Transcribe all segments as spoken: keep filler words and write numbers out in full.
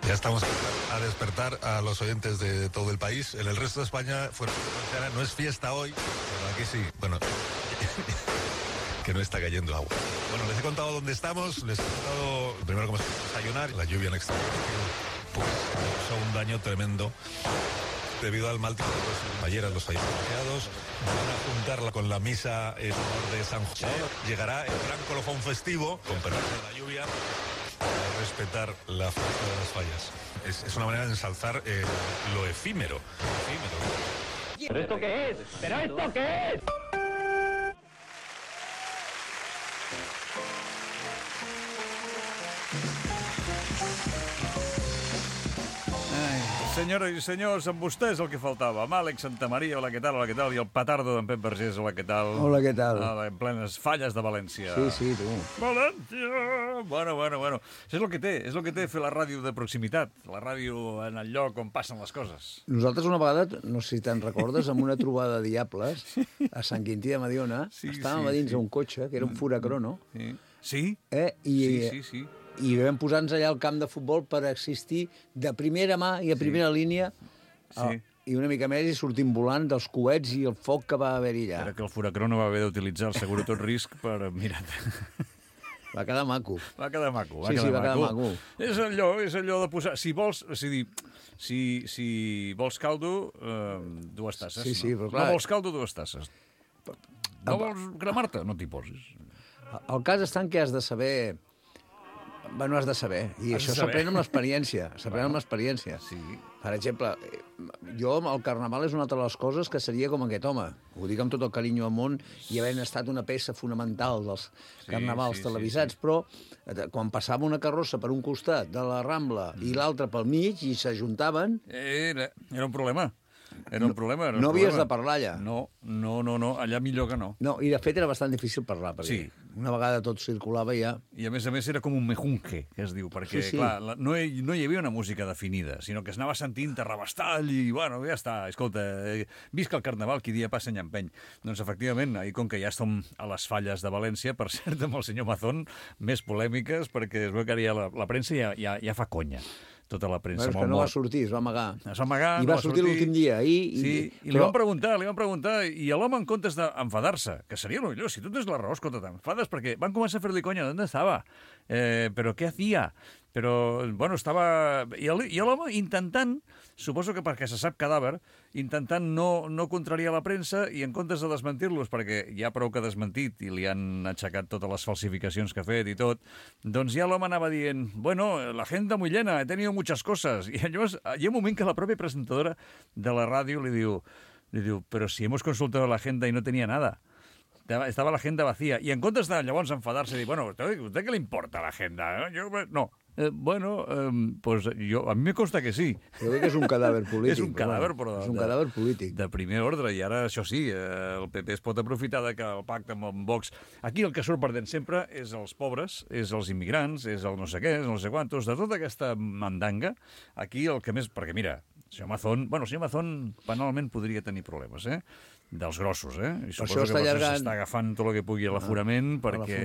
Ya estamos a despertar a los oyentes de todo el país. En el resto de España, fuera de Valenciana, no es fiesta hoy, pero aquí sí. Bueno, que no está cayendo agua. Bueno, les he contado dónde estamos, les he contado primero cómo se puede desayunar, la lluvia en exterior, pues causó un daño tremendo debido al mal tiempo. Ayer los fallecidos van a juntarla con la misa en honor de San José. Llegará el gran colofón festivo, con permiso de la lluvia, para respetar la fiesta de las fallas. Es, es una manera de ensalzar eh, lo efímero. efímero. ¿Pero esto qué es? ¿Pero esto qué es? Senyores i senyors, amb vostès el que faltava. Amb Àlex Santamaria, hola, què tal, hola, què tal, i el petardo d'en Pep Vergés, hola, què tal. Hola, què tal. Ah, en plenes falles de València. Sí, sí, tu. València! Bueno, bueno, bueno. Això és el que té, és el que té fer la ràdio de proximitat, la ràdio en el lloc on passen les coses. Nosaltres una vegada, no sé si te'n recordes, amb una trobada de diables a Sant Quintí de Mediona, sí, estàvem sí, a dins sí. d'un cotxe, que era un Furacrono. Sí, sí, eh? I, sí, sí, sí. I vam posar-nos allà al camp de futbol per assistir de primera mà i a primera sí. línia sí. A, i una mica més i sortim volant dels coets i el foc que va haver-hi allà. Era que el Furacrono va haver d'utilitzar el seguro tot risc per... Mira't. Va quedar maco. Va quedar maco. Va sí, quedar sí, va maco. quedar maco. És allò, és allò de posar... Si vols, és a dir, si, si vols caldo, eh, dues tasses. Sí, sí, no? però clar... No vols caldo, dues tasses. No vols cremar-te? No t'hi posis. El cas està en què has de saber... Bueno, has de saber. I has això s'aprèn amb l'experiència. S'aprèn amb l'experiència. Sí. Per exemple, jo, el carnaval és una altra de les coses que seria com aquest home. Ho dic amb tot el carinyo al món i havent estat una peça fonamental dels sí, carnavals sí, televisats, sí, sí. Però quan passava una carrossa per un costat de la Rambla mm. i l'altre pel mig i s'ajuntaven... Era, era un problema. Era un problema. Era un no havies problema. de parlar allà. No, no, no, no, allà millor que no. No, i de fet era bastant difícil parlar, perquè sí. una vegada tot circulava ja... I a més a més era com un mejunque, que es diu, perquè, sí, sí. clar, la, no, hi, no hi havia una música definida, sinó que es anava sentint terrabastall i, bueno, ja està, escolta, eh, visca el carnaval, qui dia passa any empeny. Doncs, efectivament, ahir, com que ja som a les falles de València, per cert, amb el senyor Mazón, més polèmiques, perquè es veu que ara ja la, la premsa ja, ja, ja fa conya. Tota la premsa. No, és que no va sortir, es va amagar. Es va amagar, I no va, va sortir, sortir l'últim dia. I, sí, i, i però... li van preguntar, li van preguntar, i l'home, en comptes d'enfadar-se, que seria el millor, si tu tens la raó, escolta, t'enfades, perquè van començar a fer-li conya, d'on estava? Eh, però què hacía? Però, bueno, estava... I l'home intentant, suposo que perquè se sap cadàver, intentant no, no contrariar la premsa i en comptes de desmentir-los, perquè ja prou que ha desmentit i li han aixecat totes les falsificacions que ha fet i tot, doncs ja l'home anava dient, bueno, la agenda muy llena, he tenido muchas cosas. I llavors hi ha un moment que la pròpia presentadora de la ràdio li diu, li diu, però si hemos consultado la agenda y no tenía nada. Estava l'agenda vacía. I en comptes de llavors enfadar-se i dir, bueno, ¿a usted qué le importa la agenda? Yo, no. Eh, bueno, eh, pues yo, a mi me consta que sí. Jo crec que és un cadàver polític. És un cadàver, però... És un de, cadàver polític. De primer ordre, i ara, això sí, eh, el P P es pot aprofitar de que el pacte amb en Vox... Aquí el que surt perdent sempre és els pobres, és els immigrants, és el no sé què, és el no sé quantos, de tota aquesta mandanga, aquí el que més... Perquè, mira, el senyor Mazón... Bueno, el senyor Mazón penalment podria tenir problemes, eh? Dels grossos, eh? I per suposo això que allargant... s'està agafant tot el que pugui a l'aforament, ah, perquè...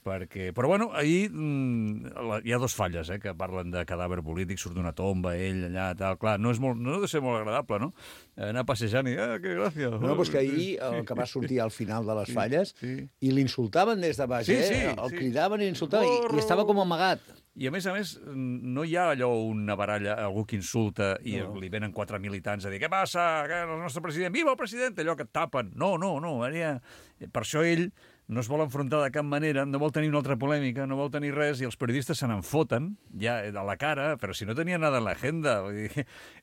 perquè... Però, bueno, ahir mmm, hi ha dos falles, eh, que parlen de cadàver polític, surt d'una tomba, ell, allà, tal... Clar, no, és molt, no ha de ser molt agradable, no? Anar passejant i, ah, que gràcia! No, però és que ahir el que va sortir al final de les sí, falles sí. i l'insultaven des de baix, sí, eh? Sí, el sí. cridaven i l'insultaven i, i estava com amagat. I, a més a més, no hi ha allò una baralla, algú que insulta i no. li venen quatre militants a dir què passa, que el nostre president, viva el president, allò que et tapen. No, no, no. Ara, per això ell no es vol enfrontar de cap manera, no vol tenir una altra polèmica, no vol tenir res, i els periodistes se n'enfoten ja a la cara, però si no tenia nada en l'agenda.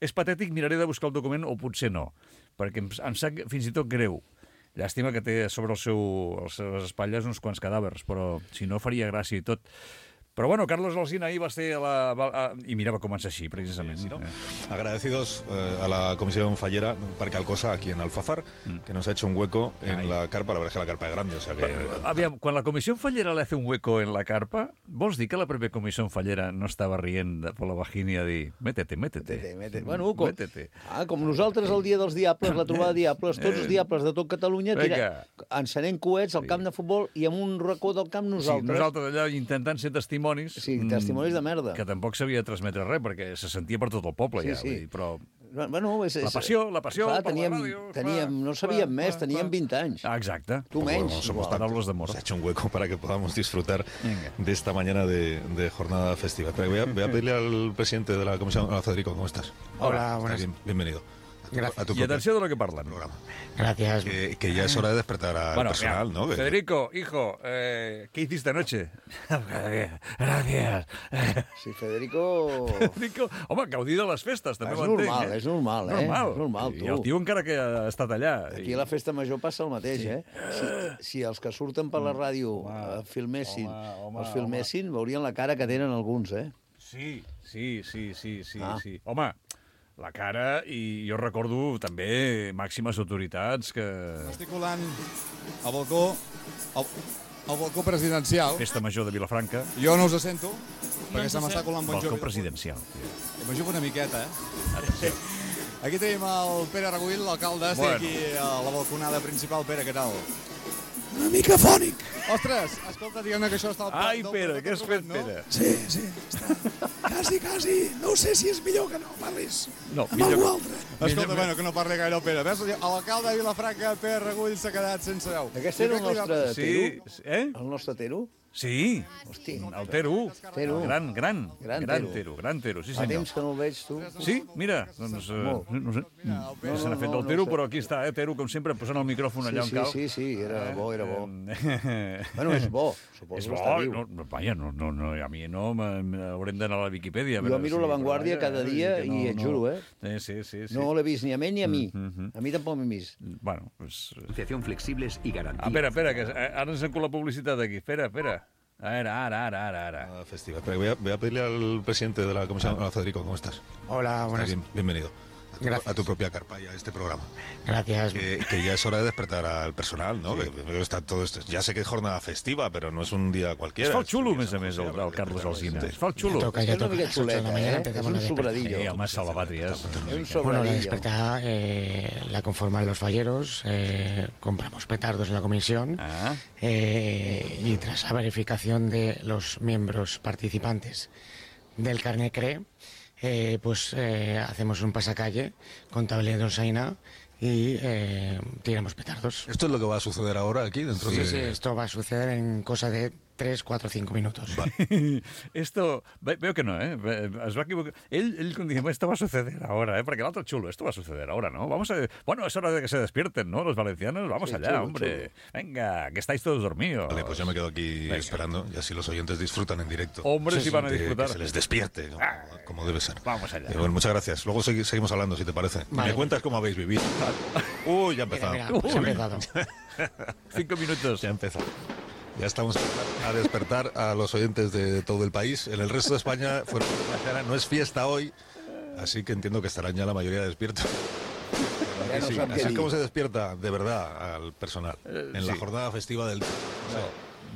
És patètic, miraré de buscar el document, o potser no, perquè em, em sap fins i tot greu. Llàstima que té sobre el seu, les seves espatlles uns quants cadàvers, però si no faria gràcia i tot. Pero bueno, Carlos Alsina ahí va a ser a la... A, y mira, va començar així, precisament. Sí, ¿no? eh. Agradecidos eh, a la Comisión Fallera, Parque Alcosa, aquí en Alfafar, mm. que nos ha hecho un hueco en Ay. la carpa. La verdad es que la carpa es grande, o sea que... Pero, aviam, quan la Comissió Fallera le hace un hueco en la carpa, vols dir que la pròpia Comissió Fallera no estava rient de por la vagina a dir métete, métete. métete, métete. Bueno, com, métete. Ah, com nosaltres el dia dels diables, la trobada de diables, tots els diables de tot Catalunya, tira, encenent coets al camp de futbol i en un racó del camp nosaltres. Sí, nosaltres allà intentant ser testimoni testimonis... Sí, testimonis de merda. Que tampoc sabia transmetre res, perquè se sentia per tot el poble, Sí, ja. sí. Vull dir, però... Bueno, és, és, La passió, la passió clar, per teníem, la ràdio. teníem, no sabíem més, teníem vint anys. Ah, exacte. Tu menys. Bueno, somos igual. Paraules d'amor. Se ha hecho un hueco para que podamos disfrutar Venga. de esta mañana de, de jornada festiva. Pero voy, a, voy a pedirle al presidente de la comisión, a Federico, ¿cómo estás? Hola, buenas. Bien, bienvenido. Gracias. A tu I propio atenció de lo que parlen. programa. Gracias. Que, que ya es hora de despertar al Bueno, personal, mira, ¿no? Que- Federico, hijo, eh, ¿qué hiciste anoche? Gracias. Sí, Federico... Federico, home, gaudir de les festes, també És ho entenc. normal, eh? és normal, eh? Normal. És normal, tu. I el tio encara que ha estat allà. Aquí a la festa major passa el mateix, eh? Si, si els que surten per la ràdio eh, filmessin, home, home, els filmessin, veurien la cara que tenen alguns, eh? Sí, sí, sí, sí, sí, Ah. sí. Home, la cara, i jo recordo també màximes autoritats que... Estic colant al balcó, al, al balcó presidencial. Festa major de Vilafranca, Jo no us sento, perquè se m'està colant bon balcó Jovi. presidencial. M'ajuda una miqueta, eh? Aquí tenim el Pere Aragull, l'alcalde. Estic Bueno. aquí a la balconada principal. Pere, què tal? Una mica fònic. Ostres, escolta, diguem-ne que això està al plat Ai, del Pere, què has fet, no? Pere? Sí, sí, està. Quasi, quasi. No sé si és millor que no parlis No, amb millor algú que- altre. Escolta, bueno, que no parli gaire el Pere. Ves, l'alcalde de Vilafranca, Pere Aragull, s'ha quedat sense veu. Aquest era el nostre Sí, Tero? eh? El nostre Tero? Sí, Hosti, el Tero. Tero. Gran, gran, Gran gran Tero. Tero, gran Tero, sí fa senyor. temps que no el veig, tu. Sí, mira, doncs, eh, Molt. no sé, no, se n'ha no, fet no, el Tero, no sé. però aquí està, eh, Tero, com sempre, posant el micròfon allà on Sí, cal. sí, sí, sí, era bo, era bo. Eh, Bueno, és bo, suposo És que bo, està viu. no, no, vaja, no, no, no, a mi no, me- me- haurem d'anar a la Viquipèdia. a Jo veure miro si- La Vanguardia però, cada vaja, dia que i et juro, eh? Eh, Sí, sí, sí. No l'he vist ni a mi ni a mi. Mhm. A mi tampoc m'he vist. Bueno, pues... eh, Financiación flexibles y garantía. Ah, espera, espera, que eh, ara ens encu la publicitat aquí. Espera, espera. Ara, ara, ara, ara, ara. Jornada festiva. Pero voy a, voy a pedirle al presidente de la comisión, a Federico, ¿cómo estás? Hola, Estás buenas. bien, bienvenido. A tu, Gracias. a tu propia carpa y a este programa. Gracias. Que, que ya es hora de despertar al personal, ¿no? Que, que está todo esto. Ya sé que es jornada festiva, pero no es un día cualquiera. Es fa el Es un xulo, a día més a San més, José, el, habrá el que Carlos despertar a la Alsina. gente. Es fa el Ya xulo. toca, És ya una toca. mica A las ocho de la xuleta, mañana eh? És empezamos un a despertar. sobradillo. Eh, home, salvatrias. És un Bueno, la sobradillo. despertar eh, la conforman los falleros, eh, compramos petardos en la comisión Ah, eh, y tras la verificación de los miembros participantes del carnet C R E, eh, pues eh, hacemos un pasacalle con tablero de Osaina y eh, tiramos petardos. Esto es lo que va a suceder ahora aquí dentro Sí, de... sí, esto va a suceder en cosa de tres, cuatro, cinco minutos. esto, ve- veo que no, ¿eh? Ve- Es va equivocar. Él, él cuando dice, esto va a suceder ahora, ¿eh? Porque el otro chulo, esto va a suceder ahora, ¿no? Vamos a... Bueno, es hora de que se despierten, ¿no? Los valencianos, vamos Sí, allá, chulo, hombre. Venga, que estáis todos dormidos. Vale, pues yo me quedo aquí Venga. esperando y así los oyentes disfrutan en directo. Hombre, si van a Que- disfrutar. Que se les despierte, como, Ah, como debe ser. Vamos allá. Eh, bueno, muchas gracias. Luego segui- seguimos hablando, si te parece. Vale. Me cuentas cómo habéis vivido. Uy, ya ha Mira, empezado. mira, pues ha Uy. empezado. Cinco minutos. Ya ha empezado. Ya estamos a despertar a los oyentes de todo el país. En el resto de España fuera de España, no es fiesta hoy, así que entiendo que estarán ya la mayoría despiertos. Ja no Sí, sap què así es dir. como se despierta de verdad al personal Eh, en la sí. jornada festiva del...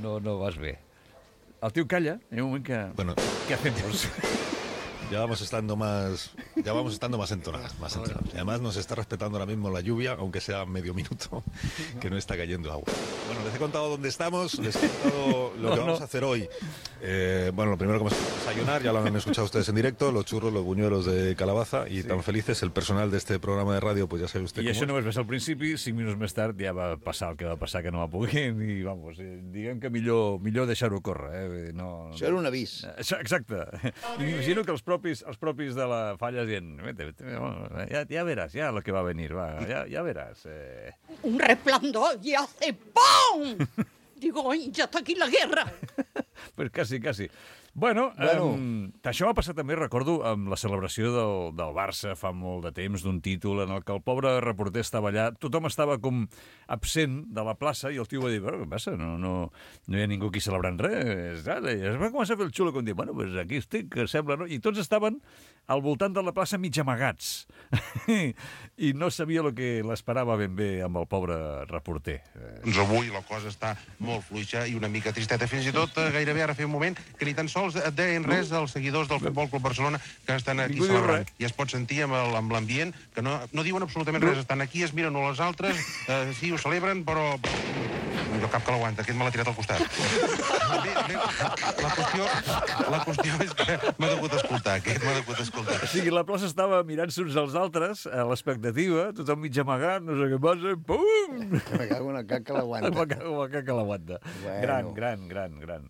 No, no vas bé. El tio calla, hi ha un moment que... Bueno, Què hacemos? ya vamos estando más, ya vamos estando más entonados, más entonados. Y además nos está respetando ahora mismo la lluvia, aunque sea medio minuto, que no está cayendo agua. Bueno, les he contado dónde estamos, les he contado lo No, que vamos no. a hacer hoy. Eh, bueno, lo primero que vamos a desayunar, ya lo han escuchado ustedes en directo, los churros, los buñuelos de calabaza y tan felices. El personal de este programa de radio, pues ya sabe usted I cómo això es. només va ser al principi, cinc minuts més tard ja va passar el que va passar, que no va poder, i vamos, eh, diguem que millor, millor deixar-ho córrer. Eh? Vull dir, No, Això era un avís. Això, exacte. I m'imagino que els propis, els propis de la falla dient, vete, vete, bueno, ja, ja veràs, ja lo que va a venir, va, ja, ja veràs. Eh. Un resplandor y hace ¡pum! Digo, "Ay, ya está aquí la guerra". Pues quasi, quasi. Bueno, Bueno. Um, això va passar també, recordo, amb la celebració del, del Barça fa molt de temps, d'un títol en el que el pobre reporter estava allà, tothom estava com absent de la plaça i el tio va dir, bueno, què passa? No, no, no hi ha ningú aquí celebrant res. I es va començar a fer el xulo com dir, bueno, pues aquí estic, que sembla, no? I tots estaven al voltant de la plaça mig amagats i no sabia el que l'esperava ben bé amb el pobre reporter. Eh, Doncs avui la cosa està molt fluixa i una mica tristeta. Fins i tot, eh, gairebé ara feia un moment, que ni tan sols et deien res als seguidors del Futbol Club Barcelona que estan aquí Ningú diu celebrant. res. I es pot sentir amb el- amb l'ambient que no, no diuen absolutament res. Estan aquí, es miren uns als altres, eh, sí, ho celebren, però... no cap que l'aguanta, aquest me l'ha tirat al costat. Bé, bé, la qüestió, la qüestió és que m'ha degut escoltar, aquest m'ha degut escoltar. O sigui, la plaça estava mirant-se uns als altres, a l'expectativa, tothom mig amagat, no sé què passa, pum! Me cago en el cac que l'aguanta. Me cago en el cac que l'aguanta. Bueno. Gran, gran, gran, gran.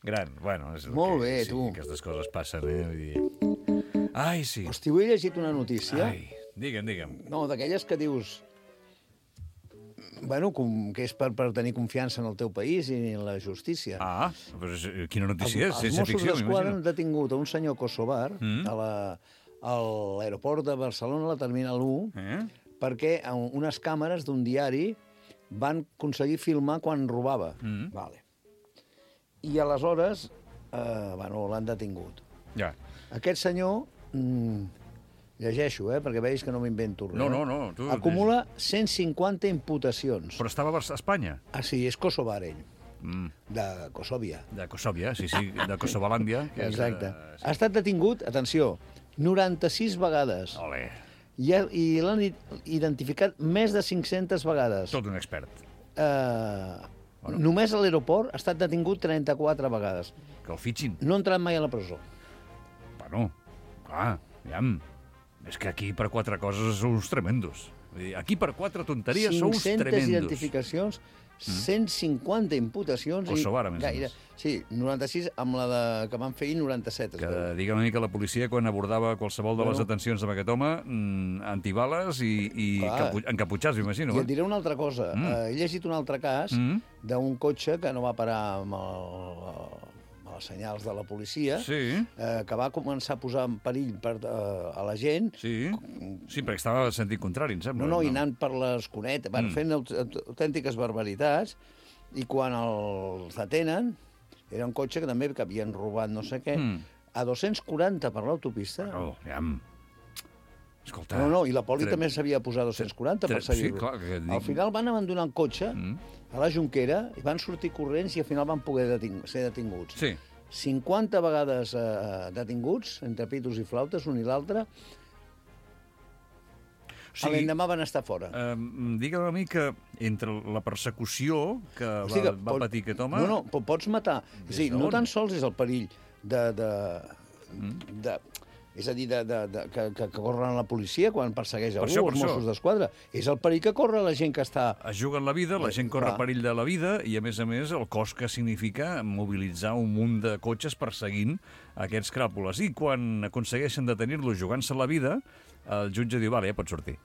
Gran, bueno... És el Molt que, bé, sí, tu. Aquestes coses passen, eh? Vull dir... Ai, sí. Hosti, avui he llegit una notícia. Ai, digue'm, digue'm. No, d'aquelles que dius... Bueno, com, que és per, per tenir confiança en el teu país i en la justícia. Ah, però és, quina notícia és? Els Sense Mossos ficció, d'Esquadra han m'imagino. detingut a un senyor kosovar Mm. a la- a l'aeroport de Barcelona, a la Terminal u, Eh? perquè a unes càmeres d'un diari van aconseguir filmar quan robava. Mm. Vale. I aleshores, eh, bueno, l'han detingut. Ja. Aquest senyor, mm, llegeixo, eh, perquè veig que no m'invento res. No, no, no, tu- Acumula cent cinquanta imputacions. Però estava a Bar- a Espanya? Ah, sí, és kosovar, ell. Mm. De Kosovia. De Kosovia, sí, sí, de Kosovalàndia. Que és, Exacte. eh, Ha estat detingut, atenció, noranta-sis vegades. Olé, I, ha- i l'han i- identificat més de cinc-centes vegades. tot un expert. Eh, Només a l'aeroport ha estat detingut trenta-quatre vegades. Que el fitxin. No ha entrat mai a la presó. Bueno, clar, aviam. És que aquí per quatre coses sou uns tremendos. Vull dir, aquí per quatre tonteries sou uns cinc-centes tremendos. identificacions, cent cinquanta imputacions... Kosovar, a més a gaire, més. Sí, noranta-sis amb la de, que van fer ahir, noranta-set. es Que veu. digue'm a mi que la policia, quan abordava qualsevol de les Bueno. detencions amb aquest home, mm, antibales i, i Clar. capu encaputxats, m'imagino. I et Eh? diré una altra cosa. Mm. Eh, he llegit un altre cas Mm. d'un cotxe que no va parar amb, el, amb els senyals de la policia, Sí, eh, que va començar a posar en perill per, eh, a la gent. sí. Sí, perquè estava en sentit contrari, em sembla. No, no, i anant per les cunetes, van Mm. fent aut- autèntiques barbaritats, i quan els detenen, era un cotxe que també que havien robat no sé què, Mm. a dos-cents quaranta per l'autopista. No, aviam. Escolta... No, no, i la poli tre- també s'havia posat dos-cents quaranta per tre- sí, seguir-lo. clar, que dic- Al final van abandonar el cotxe Mm. a la Jonquera i van sortir corrents i al final van poder deting ser detinguts. Sí. cinquanta vegades eh, detinguts, entre pitos i flautes, un i l'altre. O Sí. L'endemà van estar fora. Eh, digue'm a mi que entre la persecució que O va, sigui que va pot- patir aquest home... No, no, po- pots matar. És a dir, no on? tan sols és el perill de... de, Mm. de és a dir, de, de, de, que, que, que corren la policia quan persegueix Per algú, això, per els això. Mossos d'Esquadra. És el perill que corre la gent que està... Es juguen la vida, la Bé, gent corre clar. perill de la vida i, a més a més, el cost que significa mobilitzar un munt de cotxes perseguint aquests cràpules. I quan aconsegueixen detenir-lo jugant-se la vida, el jutge diu, vale, ja pots sortir.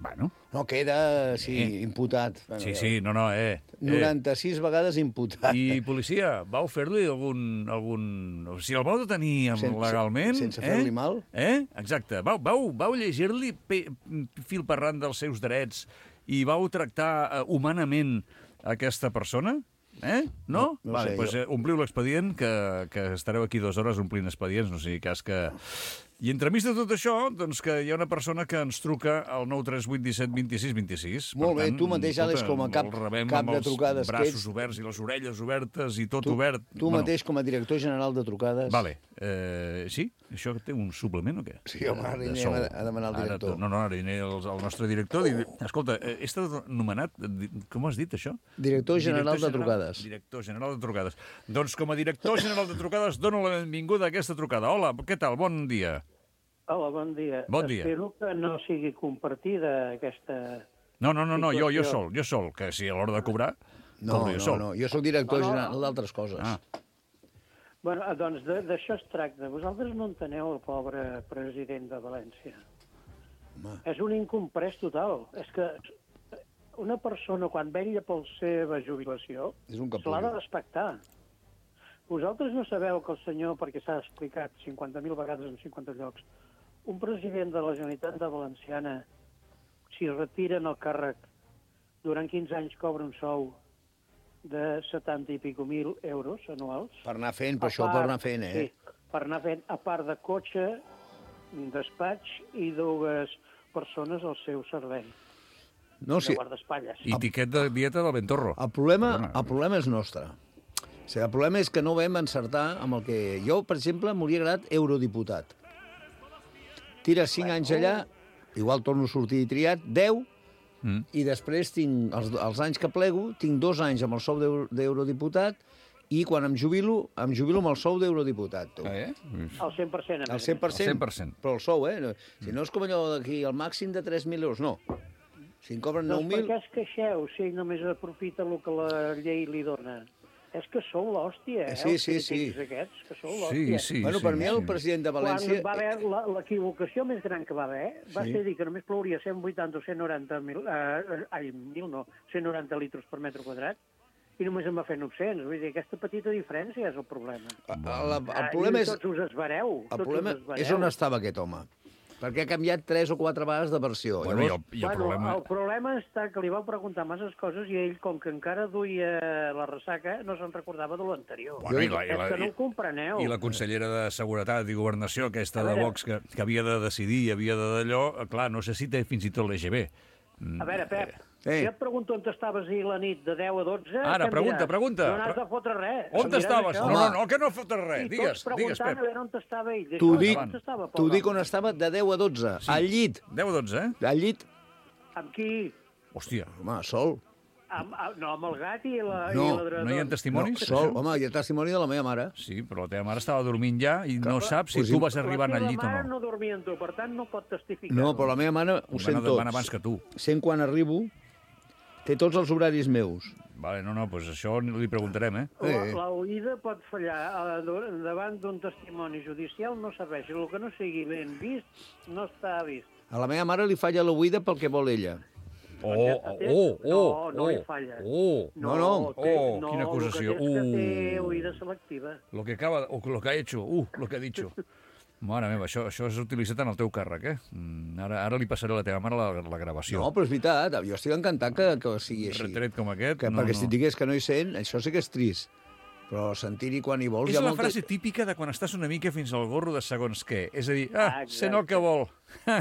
Bueno, No, queda, sí, Eh. imputat. sí, sí, no, no, eh. eh. noranta-sis vegades imputat. I, policia, vau fer-li algun, algun... O sigui, el vau detenir amb- Sense- legalment? sense eh? fer-li mal? Eh? Exacte. Vau, vau, vau llegir-li pe- fil per ran dels seus drets i vau tractar eh, humanament aquesta persona? Eh? No? No, no vale, sé, pues, jo- eh, ompliu l'expedient, que, que estareu aquí dues hores omplint expedients, no sigui cas que... I entremig de tot això, doncs que hi ha una persona que ens truca al nou tres vuit disset vint-i-sis vint-i-sis. Molt bé, tu mateix, Àlex, com a cap- el rebem cap amb de trucades els que braços ets. oberts i les orelles obertes i tot Tu, obert. tu mateix, com a director general de trucades... Vale. Eh, sí? Això té un suplement o què? Sí, home, ara De anirem sou. a- a demanar al Ara director. to- no, no, ara aniré al, al nostre director. Dir, escolta, eh, he estat nomenat... di- Com has dit, això? Director general de trucades. Director general de trucades. Doncs com a director general de trucades dono la benvinguda a aquesta trucada. Hola, què tal? Bon dia. Hola, bon dia. Bon dia. Espero que no sigui compartida aquesta... No, no, no, no jo, jo Situació. sol, jo sol, que si a l'hora de cobrar, No, cobro jo no, sol. no, jo sóc director No, no. general d'altres coses. Ah. Bueno, doncs de- d'això es tracta. Vosaltres no enteneu el pobre president de València. Home. És un incomprès total. És que una persona, quan vetlla per la seva jubilació, És un se l'ha de capullo. respectar. Vosaltres no sabeu que el senyor, perquè s'ha explicat cinquanta mil vegades en cinquanta llocs, un president de la Generalitat de Valenciana, si es retira en el càrrec, durant quinze anys cobra un sou de setanta i pico mil euros anuals. Per anar fent, per A això per part- anar fent, eh? Sí, per anar fent, a part de cotxe, despatx i dues persones al seu servei, No, de sí, guardaespatlles. I tiquet de dieta del Bentorro. el problema, Perdona. el problema és nostre. O sigui, el problema és que no vam encertar amb el que... Jo, per exemple, m'hauria agradat eurodiputat. Tires cinc anys allà, igual torno a sortir triat, deu, Mm. i després tinc, els, els anys que plego, tinc dos anys amb el sou d'euro- d'eurodiputat i quan em jubilo, em jubilo amb el sou d'eurodiputat. Tu. Ah, eh? El cent per cent. a El més. cent per cent, El cent per cent. però el sou, eh? No, si no és com allò d'aquí, el màxim de tres mil euros, no. Si em cobren nou Doncs mil... per què es queixeu si ell només aprofita el que la llei li dona? És que sou l'hòstia, eh? Sí, els sí, sí. crítics aquests, que sou Sí, l'hòstia. sí, Bueno, sí. per mi el sí. president de València... Quan va haver la- l'equivocació més gran que va haver, va Sí. ser dir que només plouria cent vuitanta o cent noranta mil, eh, ai, mil no, cent noranta litres per metre quadrat, i només en va fer nou-cents. Vull dir, aquesta petita diferència és el problema. El, el, el Ah, problema i és... Tots us esvareu. El tots problema us esvareu. és on estava aquest home. Perquè ha canviat tres o quatre vegades de versió. Bueno, i el, Llavors, i el Bueno, problema... el problema està que li vau preguntar masses coses i ell, com que encara duia la ressaca, no se'n recordava de l'anterior. Bueno, i la- i és la- que no i- ho compreneu. I la consellera de Seguretat i Governació, aquesta A de veure. Vox, que, que havia de decidir i havia de d'allò, clar, no sé si té fins i tot l'E G B. A veure, Pep, Eh. si et pregunto on estaves ahir la nit de deu a dotze... Ara, què em pregunta, diràs? pregunta. No n'has de fotre res. On Em diràs estaves? això. No, no, no, que no fotes res. I Digues, tots digues, preguntant Pep. a veure on estava ell. t'ho D'això, dic, on estava, t'ho dic pobre on estava de deu a dotze, al llit. deu a dotze, eh? Al llit, home. Amb qui? Hòstia, home, sol. Amb, amb, no, amb el gat i la, No, i l'adredor. no hi ha testimonis? Sol, home, hi ha testimoni de la meva mare. Sí, però la teva mare estava dormint ja i no saps si Pues tu sí. vas arribar al llit o La teva mare no. no dormia amb tu, per tant no pot testificar. No, però la meva mare ho Van, sent van abans tots. que tu. Sent quan arribo, té tots els horaris meus. Vale, no, no, doncs això li preguntarem, eh? La, Eh. la oïda pot fallar. Eh, Davant d'un testimoni judicial no serveix. El que no sigui ben vist, no està vist. A la meva mare li falla l'oïda pel que vol ella. Oh, oh, oh, No, no oh, li falla. oh, No, no. té, Oh, no, quina acusació. El que té és que té Uh. oïda selectiva. lo que acaba, o lo que ha hecho, uh, lo que ha dicho. Mare meva, això, això és utilitzat en el teu càrrec, eh? Mm, Ara, ara li passaré a la teva mare la, la gravació. No, però és veritat, jo estic encantat que, que sigui així. Retret com aquest, Que, no, perquè no. si et digués que no hi sent, això sí que és trist. Però sentir-hi quan hi vols... És hi ha la molta- frase típica de quan estàs una mica fins al gorro de segons què. És a dir, ah, Exacte. sent el que vol.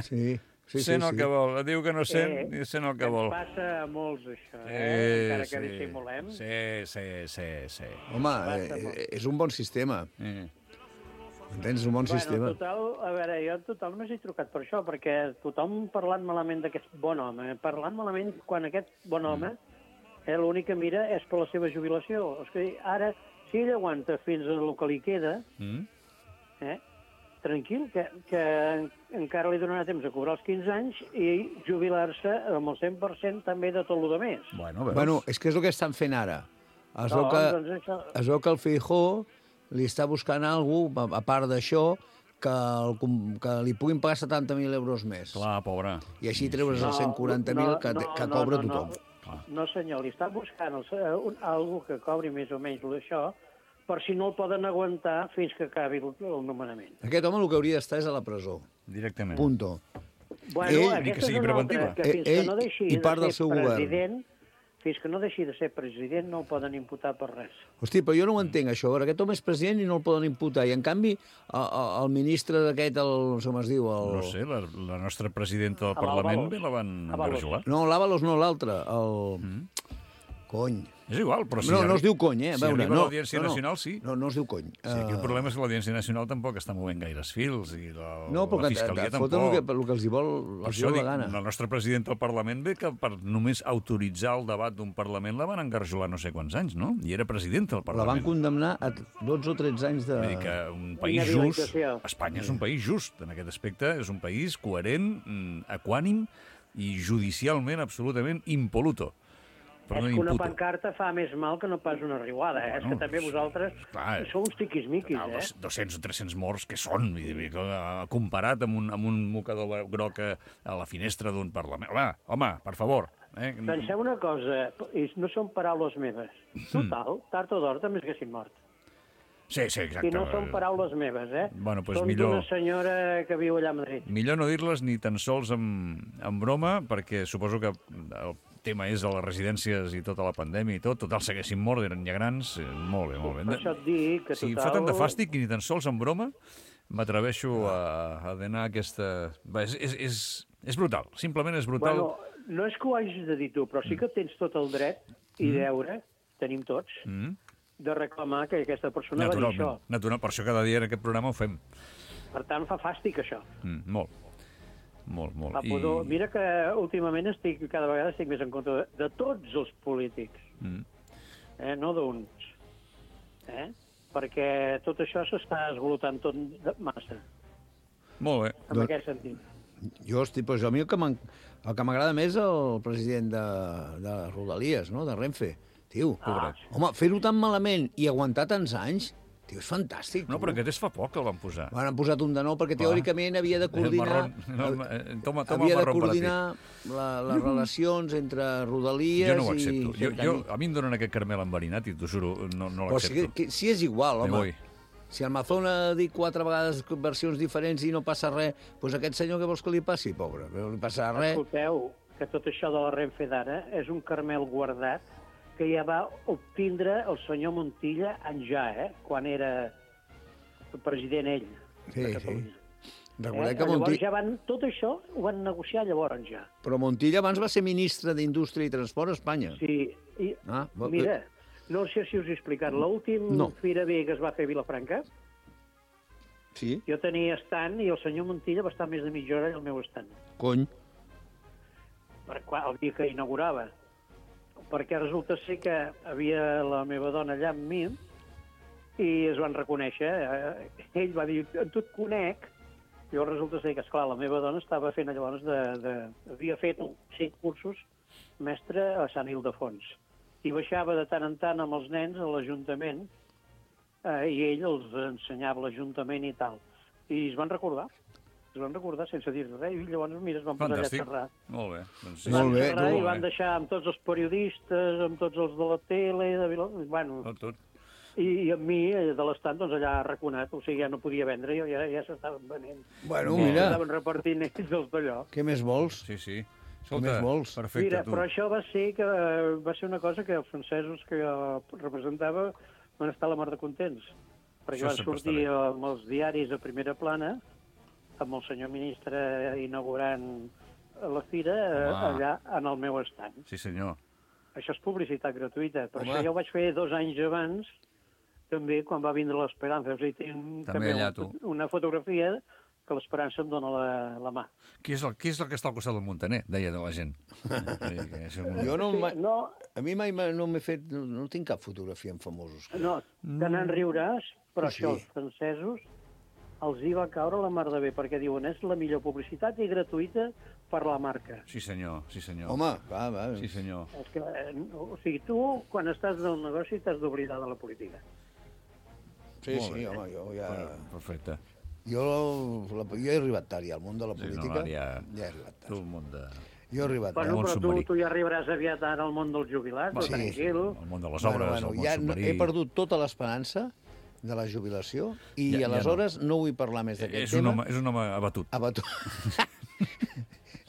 Sí, sí, sí. sent el sí. que vol. Diu que no sent, Eh, i sent el que Ens vol. passa a molts, això, eh? Eh, Encara que sí. dissimulem. Sí, sí, sí, sí. Home, eh, és un bon sistema. Eh. Entens? És un bon Bueno, sistema. total, a veure, jo en total només he trucat per això, perquè tothom parlant malament d'aquest bon home, parlant malament quan aquest bon home eh, l'únic que mira és per la seva jubilació. És que ara, si ell aguanta fins al que li queda, Mm? eh, tranquil, que, que encara li donarà temps a cobrar els quinze anys i jubilar-se amb el cent per cent també de tot el que més. Bueno, veus? Bueno, és que és el que estan fent ara. Es veu No, que, doncs això... es veu que el Feijó li està buscant algú, a, a part d'això, que, el, com- que li puguin pagar setanta mil euros més. Clar, pobre. I així treure's els cent quaranta mil que, que no, cobra no, tothom. No, no, senyor, li està buscant el, eh, un, algú que cobri més o menys això, per si no el poden aguantar fins que acabi el, el nomenament. Aquest home el que hauria d'estar és a la presó. Directament. Punto. Bueno, Ell- ni que aquesta sigui és una preventiva. altra, que fins Ell que no deixi i part de del ser seu govern. president, fins que no deixi de ser president no el poden imputar per res. Hosti, però jo no ho entenc, això. A veure, aquest home és president i no el poden imputar. I, en canvi, el, el, el ministre d'aquest, el, no sé com es diu... El... No sé, la, la nostra presidenta del A Parlament l'Ábalos. bé la van Ábalos. engarjolar. No, l'Àvalos no, l'altre. El... Mm. Cony. És igual, però si no, no arri- es diu cony, eh? A Si veure, arriba no, l'Audiència no, no. Nacional, sí. No, no es diu cony. Sí, aquí el Eh, problema és que l'Audiència Nacional tampoc està movent gaires fils i la, No, però la que Fiscalia et foten el tampoc. que, el que els hi vol, Per els hi això vol dic, la gana. el nostre president del Parlament ve que per només autoritzar el debat d'un Parlament la van engarjolar no sé quants anys, no? I era president del La van Parlament. condemnar a dotze o tretze anys de... Vull dir que un país just, Inhabilitació. Espanya és un país just en aquest aspecte, és un país coherent, mm, equànim i judicialment absolutament impoluto. Però és no que una imputo. pancarta fa més mal que no pas una riuada, eh? Bueno, és que també vosaltres clar, sou uns tiquismiquis, Ah, eh? dos- dos-cents o tres-cents morts que són, vull dir, que, eh, comparat amb un, amb un mocador groc a a la finestra d'un Parlament. Home, home, per favor. Eh? Penseu una cosa, i no són paraules meves. Total, tard o d'hora també es haguessin mort. Sí, sí, exacte. I no són paraules meves, eh? Bueno, doncs són millor- d'una senyora que viu allà a Madrid. Millor no dir-les ni tan sols amb, amb broma, perquè suposo que el tema és a les residències i tota la pandèmia i tot. Total, s'haguessin mort, eren ja grans. Eh, Molt bé, molt bé. Per això et dic que Si total... fa tant de fàstic i ni tan sols amb broma, m'atreveixo a, a donar aquesta... Va, és, és, és, és brutal, simplement és brutal. Bueno, no és que ho hagis de dir tu, però sí que tens tot el dret i deure, tenim tots, Mm. de reclamar que aquesta persona va dir Naturalment, això. natural, per això cada dia en aquest programa ho fem. Per tant, fa fàstic, això. Mm, molt. Molt, molt. Va, I... Mira que últimament estic, cada vegada estic més en compte de, de tots els polítics, mm. eh? no d'uns. Eh? Perquè tot això s'està esgolotant tot de massa. Molt bé. En aquest sentit. Jo, estic, però a mi el que m'agrada més és el president de, de Rodalies, no? De Renfe. Tio, ah, sí. Home, fer-ho tan malament i aguantar tants anys, tio, és fantàstic. No, però aquest és fa poc que el van posar. Van posat un de nou perquè teòricament havia de coordinar... No, toma, toma havia de coordinar la, les relacions entre Rodalies i... Jo no ho accepto. Jo, jo, a mi em donen aquest caramel enverinat i t'ho juro, no, no l'accepto. Si, si és igual, home. Si el Mazón ha dit quatre vegades versions diferents i no passa res, doncs aquest senyor què vols que li passi, pobre? No li passa res. Escolteu, que tot això de la Renfe d'ara és un caramel guardat que ja va obtindre el senyor Montilla en ja, eh? Quan era president ell sí, de Catalunya. Sí. Recordeu eh? que Montilla... Ja van, tot això ho van negociar llavors ja. Però Montilla abans va ser ministre d'Indústria i Transport a Espanya. Sí, i ah, mira, no sé si us he explicat, l'últim no. Fira B que es va fer a Vilafranca, sí. Jo tenia estant i el senyor Montilla va estar més de mitja hora al meu estant. Cony. Per quan, el dia que inaugurava. Perquè resulta ser que havia la meva dona allà amb mi i es van reconèixer. Ell va dir, tu et conec. Jo resulta ser que, esclar, la meva dona estava fent llavors de... de havia fet cinc cursos mestre a Sant Ildefons. I baixava de tant en tant amb els nens a l'Ajuntament eh, i ell els ensenyava l'Ajuntament i tal. I es van recordar. Es van recordar sense dir res, i llavors, mira, es van posar Fantàstic. allà a xerrar. Molt bé. Doncs sí. Van Molt bé, xerrar molt i van bé. deixar amb tots els periodistes, amb tots els de la tele, de Vila... Bueno, Tot, tot. I, i amb mi, de l'estat, doncs allà arraconat, o sigui, ja no podia vendre, ja, ja s'estaven venent. Bueno, I mira. estaven repartint ells els d'allò. Què més vols? Sí, sí. Què més vols? Perfecte, Mira, tu. però això va ser, que, va ser una cosa que els francesos que jo representava van estar a la mar de contents, perquè Això van sempre sortir està amb els diaris a primera plana, amb el senyor ministre inaugurant la fira eh, allà en el meu estant. Sí, senyor. Això és publicitat gratuïta. Per Home. això jo ho vaig fer dos anys abans, també, quan va vindre l'Esperança. O sigui, tinc També també allà, un, tu. una fotografia que l'Esperança em dona la, la mà. Qui és, el, qui és el que està al costat del Montaner? Deia de la gent. un... Jo no, Sí, mai, no, a mi mai m'ha- no m'he fet... No, no tinc cap fotografia amb famosos. no, te n'en riuràs, però Sí. això els francesos els hi va caure la mar de bé, perquè diuen és la millor publicitat i gratuïta per la marca. Sí, senyor, sí, senyor. Home, va, va. Sí, senyor. És que, eh, o sigui, tu, quan estàs del negoci, t'has d'oblidar de la política. Sí, Molt sí, bé. home, jo ja... Perfecte. Jo, la, jo he arribat tard ja al món de la Sí, no, política. ara ja... Ja he arribat Tu, tard. el món de... Jo he arribat tard. Bueno, món però tu, submarí. tu ja arribaràs aviat ara al món dels jubilats, Sí, sí, tranquil. El món de les obres, bueno, el món ja submarí... he perdut tota l'esperança de la jubilació i Ja- ja aleshores no. no vull parlar més És d'aquest un, tema. home, és un home abatut. Abatut.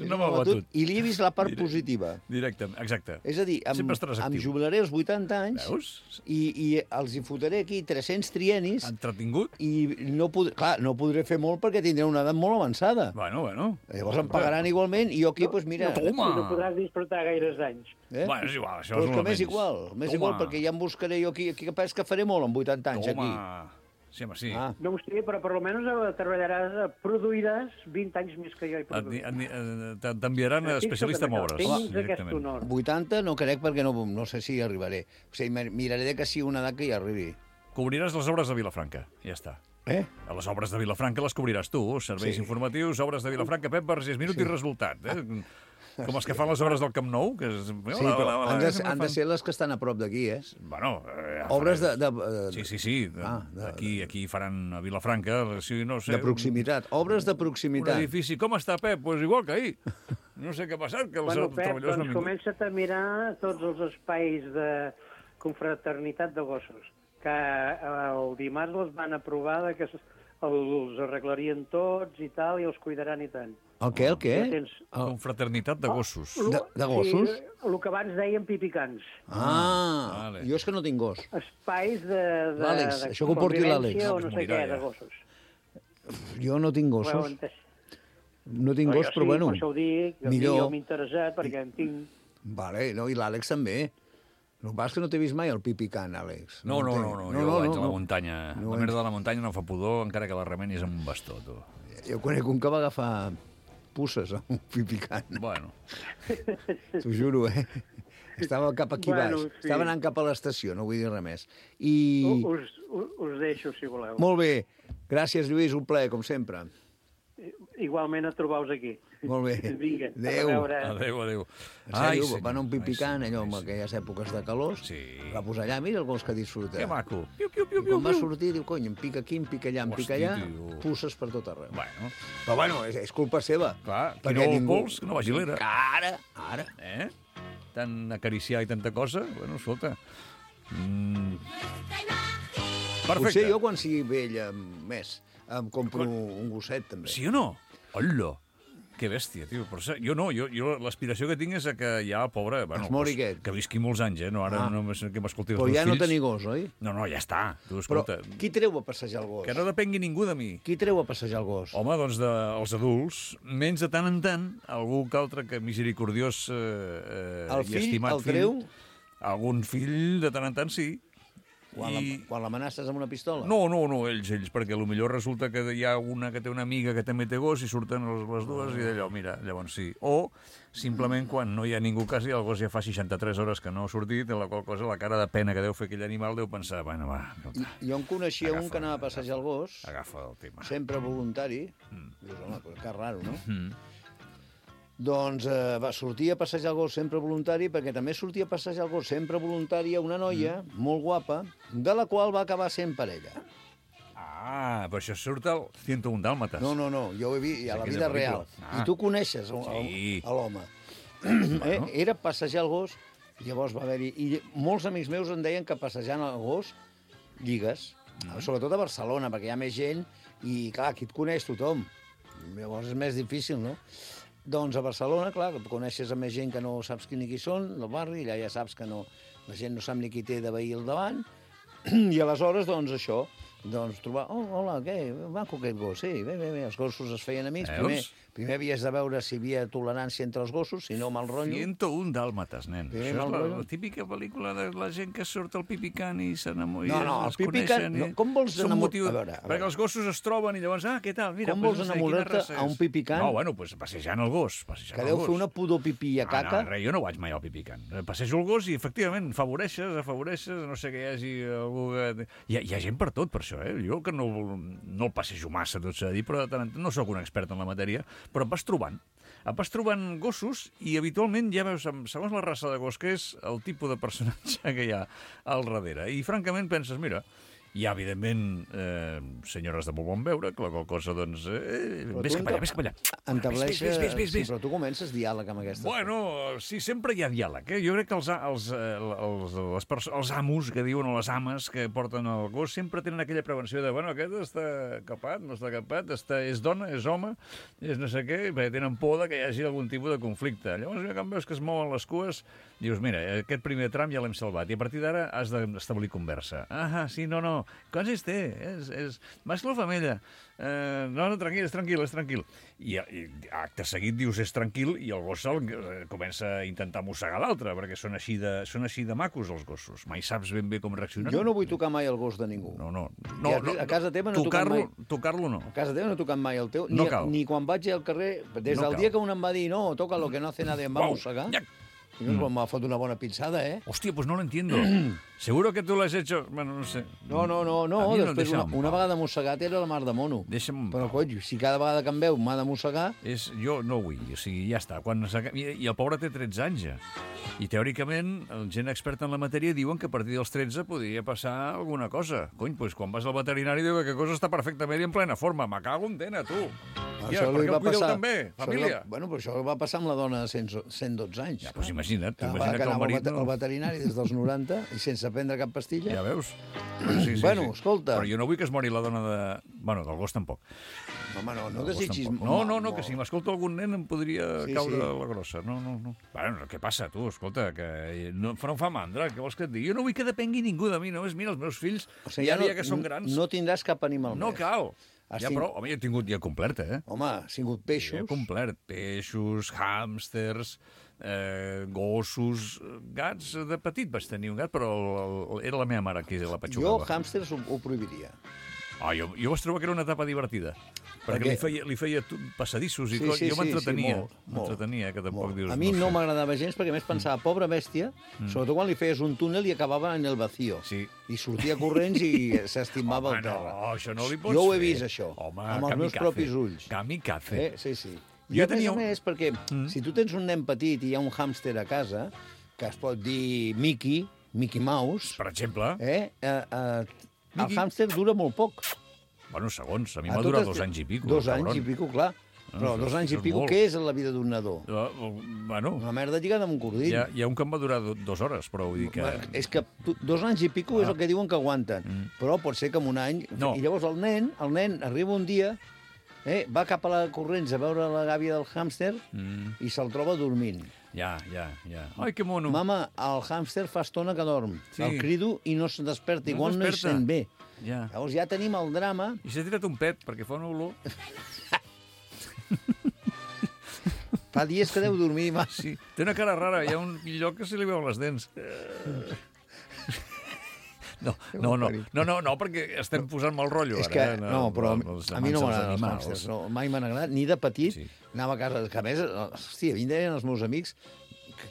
És un home abatut. I li he vist la part Direct- positiva. Directe, exacte. És a dir, em, Sempre estaràs em actiu. jubilaré als vuitanta anys Veus? i, i els hi fotré aquí tres-cents trienis Entretingut? i no, pod clar, no podré fer molt perquè tindré una edat molt avançada. Bueno, bueno. Llavors em pagaran igualment i jo aquí, doncs mira... Toma! No podràs disfrutar gaires anys. Eh? Bueno, és igual, això Però és és que el m'és menys. igual, m'és Toma. igual, perquè ja em buscaré jo aquí, aquí capaz que faré molt amb vuitanta anys Toma. aquí. Sí, home, sí. Ah. No ho sé, però per almenys eh, treballaràs, eh, produiràs vint anys més que jo he Et- produït. et- et- T'enviaran a Estic especialista en obres. Tens aquest directament. honor. vuitanta no crec perquè no, no sé si hi arribaré. O sigui, mir- miraré de que sigui una edat que hi arribi. Cobriràs les obres de Vilafranca, ja està. Eh? A les obres de Vilafranca les cobriràs tu, serveis Sí. informatius, obres de Vilafranca, Pep Vergés, minut i resultat. Eh? Com els que fan les obres del Camp Nou, que és... Sí, però han de, han de fan- ser les que estan a prop d'aquí, eh? Bueno, eh, ja Obres de... farem. de, de Sí, sí, sí. De, Ah, de- aquí, aquí faran a Vilafranca, si no sé... de proximitat. Obres de Un, un proximitat. edifici. Com està, Pep? Pues igual que ahir. No sé què ha passat, que els Bueno, Pep, treballadors no doncs han vingut. comença't a mirar tots els espais de confraternitat de gossos, que eh, el dimarts els van aprovar de que s- els arreglarien tots i tal, i els cuidaran i tant. El què, el què? Ja tens- Confraternitat de gossos. De, de gossos? Sí, el que abans dèiem pipicans. Ah, Vale. jo és que no tinc gos. Espais de... de L'Àlex, de això que ho porti l'Àlex. convivència o No, no pues sé morirà, què, ja. de gossos. Jo no tinc Ho heu gossos. entès? No tinc Però gos, jo però sí, bueno. per això ho dic, a mi millor. jo m'he interessat, perquè en tinc... Vale, no, i l'Àlex també. El que passa és que no t'he vist mai el pipicant, Àlex. No, no, entenc. no, no, jo vaig a la muntanya. No La merda de la muntanya no fa pudor, encara que la remenis amb un bastó, tu. Jo conec un que va agafar pusses amb un pi picant. Bueno. T'ho juro, eh? Estava cap aquí Bueno, baix. sí. Estava anant cap a l'estació, no vull dir res més. I... Us, us, us deixo, si voleu. Molt bé. Gràcies, Lluís, un plaer, com sempre. Igualment a trobar-vos aquí. Molt bé. Vinga, Adéu. a veure. Adéu, adéu. En sèrio, senyor, van a un pi ai, picant, senyor, allò, ai, en senyor. aquelles èpoques de calors, Sí. va posar allà, mira el gos que disfruta. Que maco. Piu, piu, I piu, piu, quan va piu. sortir, diu, cony, em pica aquí, em pica allà, em pica Hosti, allà, tio. pusses per tot arreu. Bueno, Però bueno, és, és culpa seva. clar, qui Perquè no el ningú- pols, que no vagi a l'era. Ara, ara. Eh? Tant acariciar i tanta cosa, bueno, escolta. Mm. Perfecte. Potser jo, quan sigui vell, em, més, em compro un gosset, també. Sí o no? Hola! Que bèstia, tio. Però sa- jo no, jo, jo l'aspiració que tinc és a que ja, pobre, bueno, Es mori pues, aquest. que visqui molts anys, eh? No, ara Ah. no només que m'escolti els Però meus ja no fills. tenir gos, oi? No, no, ja està. Tu, Però escolta, qui treu a passejar el gos? que no depengui ningú de mi. Qui treu a passejar el gos? Home, doncs dels adults, menys de tant en tant, algú que altre que misericordiós eh, eh, El i fill estimat el treu? fill, algun fill de tant en tant sí. Quan, I- la, quan l'amenaces amb una pistola? No, no, no, ells, ells, perquè potser resulta que hi ha una que té una amiga que també té gos i surten les, les dues i d'allò, mira, llavors sí. O simplement quan no hi ha ningú quasi, el gos ja fa seixanta-tres hores que no ha sortit, en la qual cosa la cara de pena que deu fer aquell animal deu pensar, bueno, va, I, jo en coneixia Agafa, un que anava a passejar el gos, agafa el tema. sempre voluntari. Mm. Dius, home, però que raro, no? Mm. Doncs eh, va sortir a passejar el gos sempre voluntari, perquè també sortia a passejar el gos sempre voluntari a una noia Mm. molt guapa, de la qual va acabar sent parella. Ah, però això surt al ciento un dàlmates. No, no, no, jo ho he vist a la aquella vida real. pel·lícula. Ah. I tu coneixes el- el- Sí. a l'home. Bueno. Eh? Era passejar el gos, llavors va haver-hi... I molts amics meus em deien que passejant el gos lligues, Mm. sobretot a Barcelona, perquè hi ha més gent i, clar, aquí et coneix tothom. Llavors és més difícil, no? Doncs a Barcelona, clar, coneixes a més gent que no saps qui ni qui són, del barri, allà ja saps que no, la gent no sap ni qui té de veí al davant, i aleshores, doncs, això, doncs, trobar... Oh, hola, què? Maco aquest gos. Sí, bé, bé, bé. Els gossos es feien amics. Veus? Primer, primer havies de veure si hi havia tolerància entre els gossos, si no, mal rotllo. ciento un dàlmates, nen. Primer Això és mal la, rotllo. la típica pel·lícula de la gent que surt al pipicant i s'enamora. No, no, el pipicant... No, com vols Són enamor... motiu... A veure, a Perquè veure. els gossos es troben i llavors, ah, què tal? Mira, Com pues, vols no sé, quina enamorar-te raça a un és? pipicant? No, bueno, pues, passejant el gos. Passejant Que el deu gos. fer una pudor pipí a caca. No, no, res, jo no vaig mai al pipicant. Passejo el gos i, efectivament, favoreixes, afavoreixes, no sé que hi hagi algú que... Hi ha, hi ha gent per tot, per això, eh? Jo que no, no el passejo massa, tot s'ha de dir, però de tant en tant no sóc un expert en la matèria, però em vas trobant. Et vas trobant gossos i habitualment ja veus, segons la raça de gos que és, el tipus de personatge que hi ha al darrere. I francament penses, mira, hi ha, evidentment, eh, senyores de molt bon veure, que la qual cosa, doncs... Eh, Però ves tu cap allà, ves cap allà. Entableixes... Ves, ves, ves, ves, Sí, ves. però tu comences diàleg amb aquestes Bueno, sí, sempre hi ha diàleg. Eh? Jo crec que els, a- els, eh, els, les perso- els amos, que diuen, o les ames que porten el gos, sempre tenen aquella prevenció de, bueno, aquest està capat, no està capat, està, és dona, és home, és no sé què, perquè tenen por de que hi hagi algun tipus de conflicte. Llavors, quan veus que es mouen les cues, dius, mira, aquest primer tram ja l'hem salvat, i a partir d'ara has d'establir conversa. Ah, sí, no, no, quants anys té? És, és mascle o femella? Eh, no, no, tranquil, és tranquil, és tranquil. I, i acte seguit dius és tranquil i el gos el, eh, comença a intentar mossegar l'altre, perquè són així, de, són així de macos els gossos. Mai saps ben bé com reaccionar. Jo no vull tocar mai el gos de ningú. No, no. I no, a- no a casa teva no he tocat tocar-lo, mai. tocar-lo no. A casa teva no he tocat mai el teu. No Ni, cal. ni quan vaig al carrer, des No del cal. dia que un em va dir no, toca lo que no hace nadie, em va Uau, mossegar. ja. I no, m'ha fot una bona pinçada, eh? Hòstia, pues no lo entiendo. Seguro que tú lo has hecho... Bueno, no sé. No, no, no, no. A mi Després, deixa'm una, en una pau. vegada mossegat era la mar de mono. Deixa'm en Però, pau. coi, si cada vegada que em veu m'ha de mossegar... És, jo no vull, o sigui, ja està. Quan s'aca- I, I el pobre té tretze anys ja. I teòricament, el gent experta en la matèria diuen que a partir dels tretze podria passar alguna cosa. Cony, doncs quan vas al veterinari diu que cosa està perfectament i en plena forma. Me cago en tena, tu. Ja, per li què va el cuideu passar- també, això li família? Va, bueno, però això va passar amb la dona de cent, cent dotze anys. Ja, doncs imagina't, Que, va, imagina't que que el anava al marit... vete- al veterinari des dels noranta i sense prendre cap pastilla. Ja veus? Sí, sí, Bueno, sí. escolta. Però jo no vull que es mori la dona de... Bueno, del gos tampoc. Home, no, no Del gos desitgis... tampoc. No, home, no, no, que si m'escolta algun nen em podria Sí, caure sí. la grossa. No, no, no. Bueno, què passa, tu? Escolta, que no, no em fa mandra, què vols que et digui? Jo no vull que depengui ningú de mi, només mira, els meus fills, O sigui, ja ja no, dia que són grans, no tindràs cap animal no més. cal. Has Ja, tinc- però, home, ja he tingut, ja he complert, eh? Home, ha sigut Ja peixos. he complert. Peixos, hàmsters, eh, gossos, gats. De petit vaig tenir un gat, però el, el, era la meva mare qui la Jo petxugava. hàmsters ho, ho prohibiria. Ah, jo, jo vaig trobar que era una etapa divertida. Perquè li feia, li feia passadissos i Sí, coses. sí, jo sí, m'entretenia. sí, molt, molt. M'entretenia, que tampoc Molt. dius... A mi no sé. m'agradava gens perquè a més pensava, pobra bèstia, sobretot quan li feies un túnel i acabava en el vacío. Sí. I sortia corrents i s'estimava Home, al terra. no, això no li pots Jo ho he fer. vist, això, Home, amb els meus kamikaze. propis ulls. Kamikaze. Eh? Sí, sí. Jo I a tenia més un- a més, perquè si tu tens un nen petit i hi ha un hàmster a casa, que es pot dir Mickey, Mickey Mouse, Per exemple, eh? Eh, eh, el Mickey. hàmster dura molt poc. bueno, segons, a mi A m'ha durat totes- dos anys i pico. Dos cabron. anys i pico, clar. Però això dos és- anys això i és pico, molt. què és en la vida d'un nadó? Uh, bueno, Una merda lligada amb un cordill. hi ha, hi ha un que em va durar do, dues hores, però vull dir que... Bueno, és que tu- dos anys i pico és el que diuen que aguanten, però pot ser que en un any... No. I llavors el nen, el nen arriba un dia, eh, va cap a la corrents a veure la gàbia del hàmster Mm, i se'l troba dormint. ja, ja, ja. Ai, que mono. Mama, el hàmster fa estona que dorm. Sí. El crido i no se'n desperta, No igual no hi desperta. sent bé. Ja. Llavors ja tenim el drama. I s'ha tirat un pet, perquè fa una olor. Fa dies que deu dormir massa. Sí, té una cara rara, hi ha un lloc que se li veuen les dents. No, no, no, no, no, no, perquè estem posant mal rotllo És ara. que, eh, no, però els a mi no amants dels m'agraden els animals. hàmsters. No, mai m'han agradat, ni de petit. Sí. Anava a casa, que a més, hòstia, a mi em deien els meus amics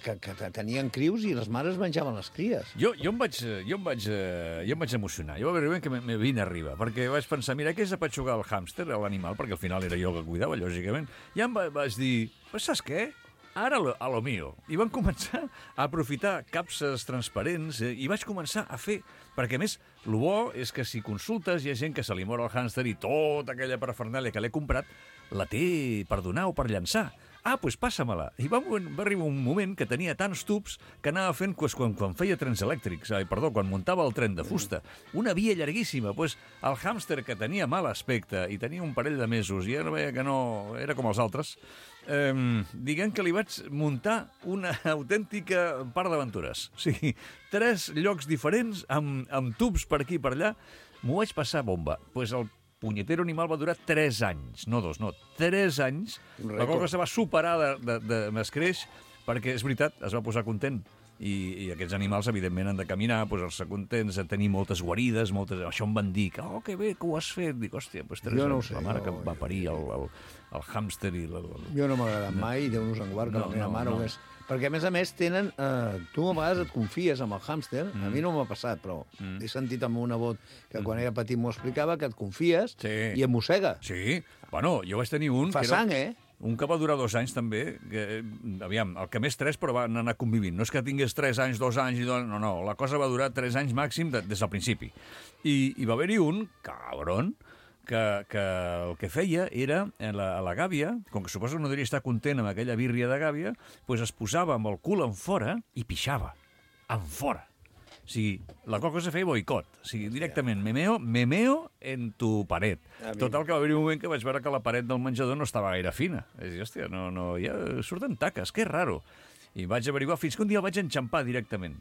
que, que, que tenien crius i les mares menjaven les cries. Jo, jo, em vaig, jo, em vaig, eh, jo em vaig emocionar. Jo va haver un moment que me, me vine arriba, perquè vaig pensar, mira, què és apatxugar el hàmster, l'animal, perquè al final era jo que cuidava, lògicament. I em va, vaig dir, pues saps què? Ara lo, a lo mío. I van començar a aprofitar capses transparents eh, i vaig començar a fer... Perquè, a més, el bo és que si consultes hi ha gent que se li mor el hàmster i tota aquella parafernàlia que l'he comprat la té per donar o per llançar. Ah, doncs passa-me-la. I va, va arribar un moment que tenia tants tubs que anava fent pues, quan, quan feia trens elèctrics, ai, perdó, quan muntava el tren de fusta. Una via llarguíssima. Pues, el hàmster, que tenia mal aspecte i tenia un parell de mesos i ara veia que no... era com els altres, eh, diguem que li vaig muntar una autèntica part d'aventures. O sigui, tres llocs diferents amb, amb tubs per aquí i per allà. M'ho vaig passar bomba. Doncs pues el punyetero animal va durar tres anys, no dos, no, tres anys. La qual cosa va superar de, de, de m'escreix, perquè és veritat, es va posar content. I, i aquests animals, evidentment, han de caminar, posar-se contents, a tenir moltes guarides, moltes... Això em van dir, que, oh, que bé, que ho has fet. Dic, hòstia, doncs tres Jo no ho anys, sé, la mare jo- que va parir el, el, el hàmster i... La, la... Jo no m'ha agradat mai, Déu nos en guard, que No, la meva no, mare no. ho és. Perquè, a més a més, tenen... Eh, tu a vegades et confies amb el hàmster, Mm. a mi no m'ha passat, però he sentit amb una vot que quan era petit m'ho explicava, que et confies Sí. i et mossega. Sí, bueno, jo vaig tenir un... Fa que era... sang, eh? Un que va durar dos anys, també, que, aviam, el que més tres, però van anar convivint. No és que tingués tres anys, dos anys, i dos... no, no, la cosa va durar tres anys màxim de, des del principi. I, i va haver-hi un, cabron, que, que el que feia era, a la, a la gàbia, com que suposo que no devia estar content amb aquella bírria de gàbia, doncs es posava amb el cul en fora i pixava. En fora. O sigui, la qual cosa feia boicot. O sigui, directament, memeo, memeo en tu paret. Total, que va haver un moment que vaig veure que la paret del menjador no estava gaire fina. És dir, hòstia, no, no, ja surten taques, que raro. I vaig averiguar fins que un dia el vaig enxampar directament.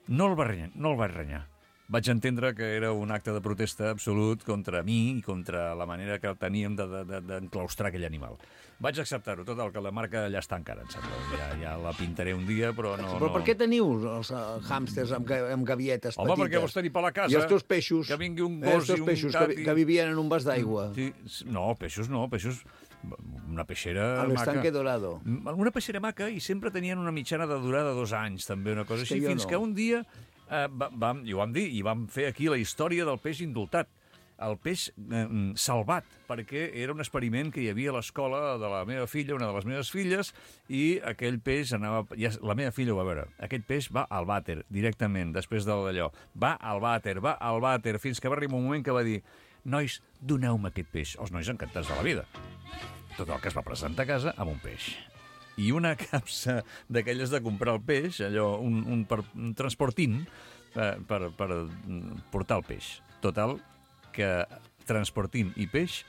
No el va renyar, no el vaig renyar. Vaig entendre que era un acte de protesta absolut contra mi i contra la manera que teníem d'enclaustrar de, de, aquell animal. Vaig acceptar-ho, tot el que la marca allà està encara, em sembla. Ja, ja la pintaré un dia, però no... Però no... per què teniu els uh, hàmsters amb, ga- amb gavietes Home, petites? perquè vols tenir per la casa... I els teus peixos? Que vingui un eh, els gos teus i un peixos gat que, i- que vivien en un vas d'aigua. Sí, no, peixos no, peixos... Una peixera A l'estanque maca. dorado. Una peixera maca i sempre tenien una mitjana de durada de dos anys, també, una cosa És que així, jo fins no. que un dia eh, va- vam, i ho vam dir, i vam fer aquí la història del peix indultat. El peix eh, salvat, perquè era un experiment que hi havia a l'escola de la meva filla, una de les meves filles, i aquell peix anava... Ja, la meva filla ho va veure. Aquest peix va al vàter, directament, després de d'allò. Va al vàter, va al vàter, fins que va arribar un moment que va dir nois, doneu-me aquest peix. Els nois encantats de la vida. Tot el que es va presentar a casa amb un peix. I una capsa d'aquelles de comprar el peix, allò, un, un, per, un transportint per, per, per portar el peix. Total, que transportint i peix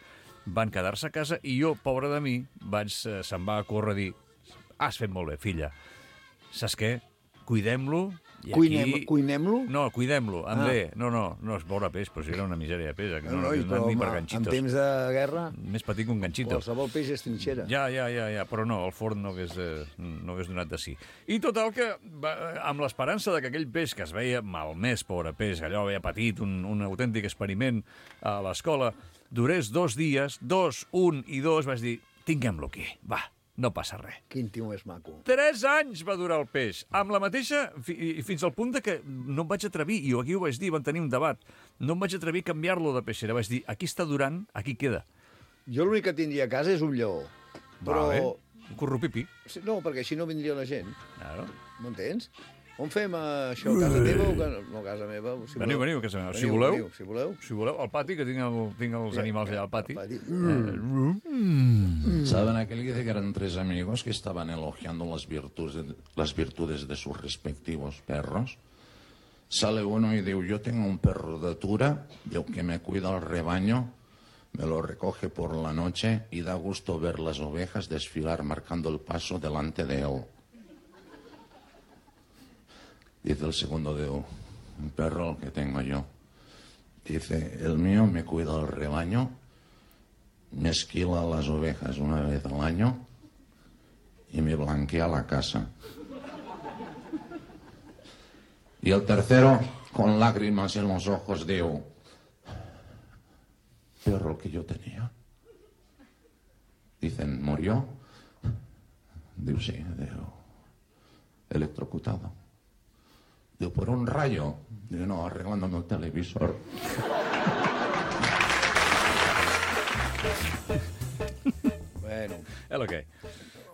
van quedar-se a casa i jo, pobre de mi, vaig, se'm va córrer a dir has fet molt bé, filla. Saps què? cuidem-lo. I Cuinem, aquí... Cuinem-lo? No, cuidem-lo, amb Ah. B. No, no, no és veure peix, però si era una misèria de peix. Que no, No, no, i no, però, ni per home, ganxitos. en temps de guerra, Més petit que un ganxito. qualsevol peix és trinxera. Ja, ja, ja, ja, però no, el forn no hagués, eh, no hagués donat de sí. I total que, va, amb l'esperança de que aquell peix que es veia malmès, pobre peix, allò havia patit un, un autèntic experiment a l'escola, durés dos dies, dos, un i dos, vaig dir, tinguem-lo aquí, va, no passa res. Quin tio més maco. Tres anys va durar el peix, amb la mateixa, fi, fins al punt de que no em vaig atrevir, i aquí ho vaig dir, vam tenir un debat, no em vaig atrevir a canviar-lo de peixera, vaig dir, aquí està durant, aquí queda. Jo l'únic que tindria a casa és un lleó. Però... Vale. Un corrupipi. Sí, no, perquè així no vindria la gent. Claro. M'entens? On fem eh, això? A casa teva o que... No, a casa meva. Si Veniu, voleu. veniu, que se... si Veniu, voleu. veniu, si voleu. Si voleu, al pati, que tinc, el, tinc els Sí, animals allà al pati. al pati. Mm. ¿Saben aquel que dice que eran tres amigos que estaban elogiando las virtudes, las virtudes de sus respectivos perros? Sale uno y dice, yo tengo un perro de Tura, yo que me cuida el rebaño, me lo recoge por la noche y da gusto ver las ovejas desfilar marcando el paso delante de él. Dice el segundo de un perro que tengo yo. Dice, el mío me cuida el rebaño, me esquila las ovejas una vez al año y me blanquea la casa. Y el tercero, con lágrimas en los ojos, digo, perro que yo tenía. Dicen, ¿murió? Digo, sí, digo, electrocutado. Digo, ¿por un rayo? Digo, no, arreglándome el televisor. Bueno. És el que.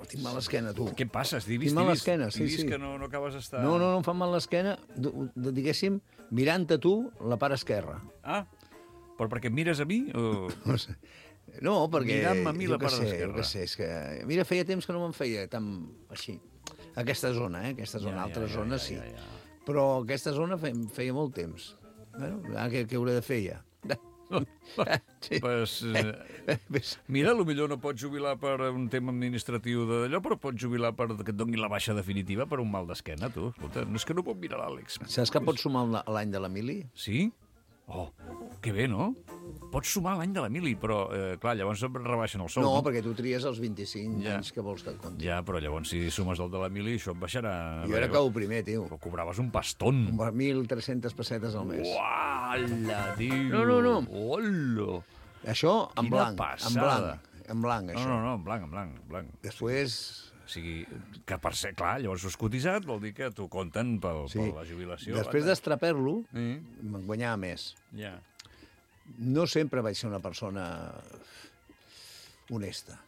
Tinc mal l'esquena, tu. Què passa? Has vist, Tinc mal he vist, l'esquena, sí, he vist sí. que no, no acabes d'estar... No, no, no em fa mal l'esquena, d- d- diguéssim, mirant a tu la part esquerra. Ah, però perquè em mires a mi? O... No sé. No, perquè... Mirant-me a mi jo la què part sé, esquerra. Jo què sé, és que... Mira, feia temps que no me'n feia tan així. Aquesta zona, eh? Aquesta zona, Ja, ja, altres ja, zones ja, sí. ja, ja. Però aquesta zona feia, feia molt temps. Bueno, ara què, què hauré de fer ja? Sí. Pues, eh, mira, potser no pots jubilar per un tema administratiu d'allò, però pots jubilar per que et donin la baixa definitiva per un mal d'esquena, tu. Escolta, no és que no pot mirar l'Àlex. Saps que pots sumar l'any de l'Emili? Sí? Oh, que bé, no? Pots sumar l'any de l'Emili, però, eh, clar, llavors em rebaixen el sou. No, perquè tu tries els vint-i-cinc Ja. anys que vols que et compti. Ja, però llavors si sumes el de l'Emili, això et baixarà... Jo era cau primer, tio. Però cobraves un pastón. mil tres-centes pessetes al mes. Uala, tio! No, no, no. Hola! Això en Quina blanc, en passada. blanc, en blanc, No, això. no, no, en blanc, en blanc, en blanc. Després... O sigui, que per ser, clar, llavors has cotitzat, vol dir que t'ho compten pel, Sí. per la jubilació. Després anda. d'estraper-lo, Sí. me'n guanyava més. Ja. No sempre vaig ser una persona honesta.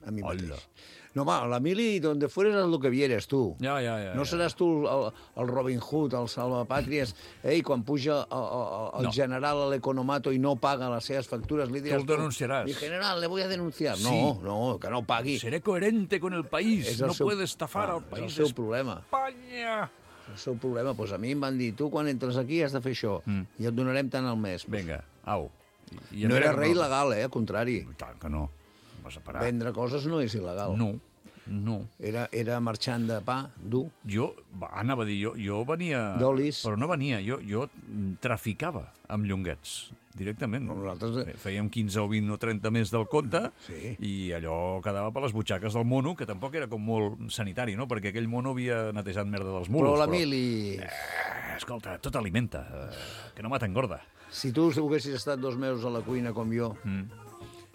A mi Hola. mateix. No, va, l'Emili, donde fueres haz lo que vieres, tu. Ja, ja, ja. No ja. seràs tu el, el Robin Hood, el salvapàtries, ei, quan puja el, el, el No. general a l'economato i no paga les seves factures, li diràs... Tu el denunciaràs. Mi general, le voy a denunciar. Sí. No, no, que no pagui. Seré coherente con el país. És el No seu- puede estafar Ah, al país És el seu problema. Espanya. El seu problema. Pues a mi em van dir, tu quan entres aquí has de fer això, Mm. i et donarem tant al mes. Vinga, au. I No mira era que res il·legal, eh? Al contrari. Tant que no. Vas a parar. Vendre coses no és il·legal. No, no. Era, era marxant de pa dur. Jo, va, anava a dir, jo, jo venia... D'olis. Però no venia, jo, jo traficava amb llonguets, directament. Nosaltres... Fèiem quinze o vint o trenta més del compte Sí. i allò quedava per les butxaques del mono, que tampoc era com molt sanitari, no? Perquè aquell mono havia netejat merda dels mulos. Però l'Emili... Eh, escolta, tot alimenta, eh, que no mata engorda. Si tu haguessis estat dos mesos a la cuina com jo, Mm.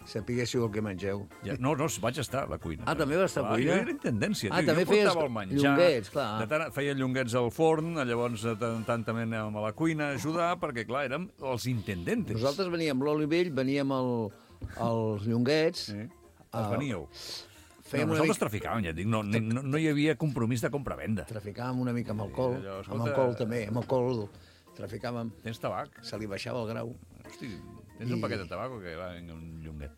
sapiguéssiu el que mengeu. Ja, no, no, vaig estar a la cuina. Ah, també vas estar a Clar, cuina? Jo era intendència. Ah, tio. també jo feies portava el menjar. llonguets, clar. De tant, feia llonguets al forn, llavors de tant en tant també anàvem a la cuina a ajudar, perquè, clar, érem els intendentes. Nosaltres veníem l'oli vell, veníem el, els llonguets... Sí. Ah, Els veníeu. Fèiem no, una nosaltres mica... traficàvem, ja et dic, no, no, no hi havia compromís de compra-venda. Traficàvem una mica amb alcohol, allò, escolta- amb alcohol també, amb alcohol traficàvem, Tens tabac? se li baixava el grau. Hosti, tens un paquet de tabac o què? Va, vinga, un llonguet.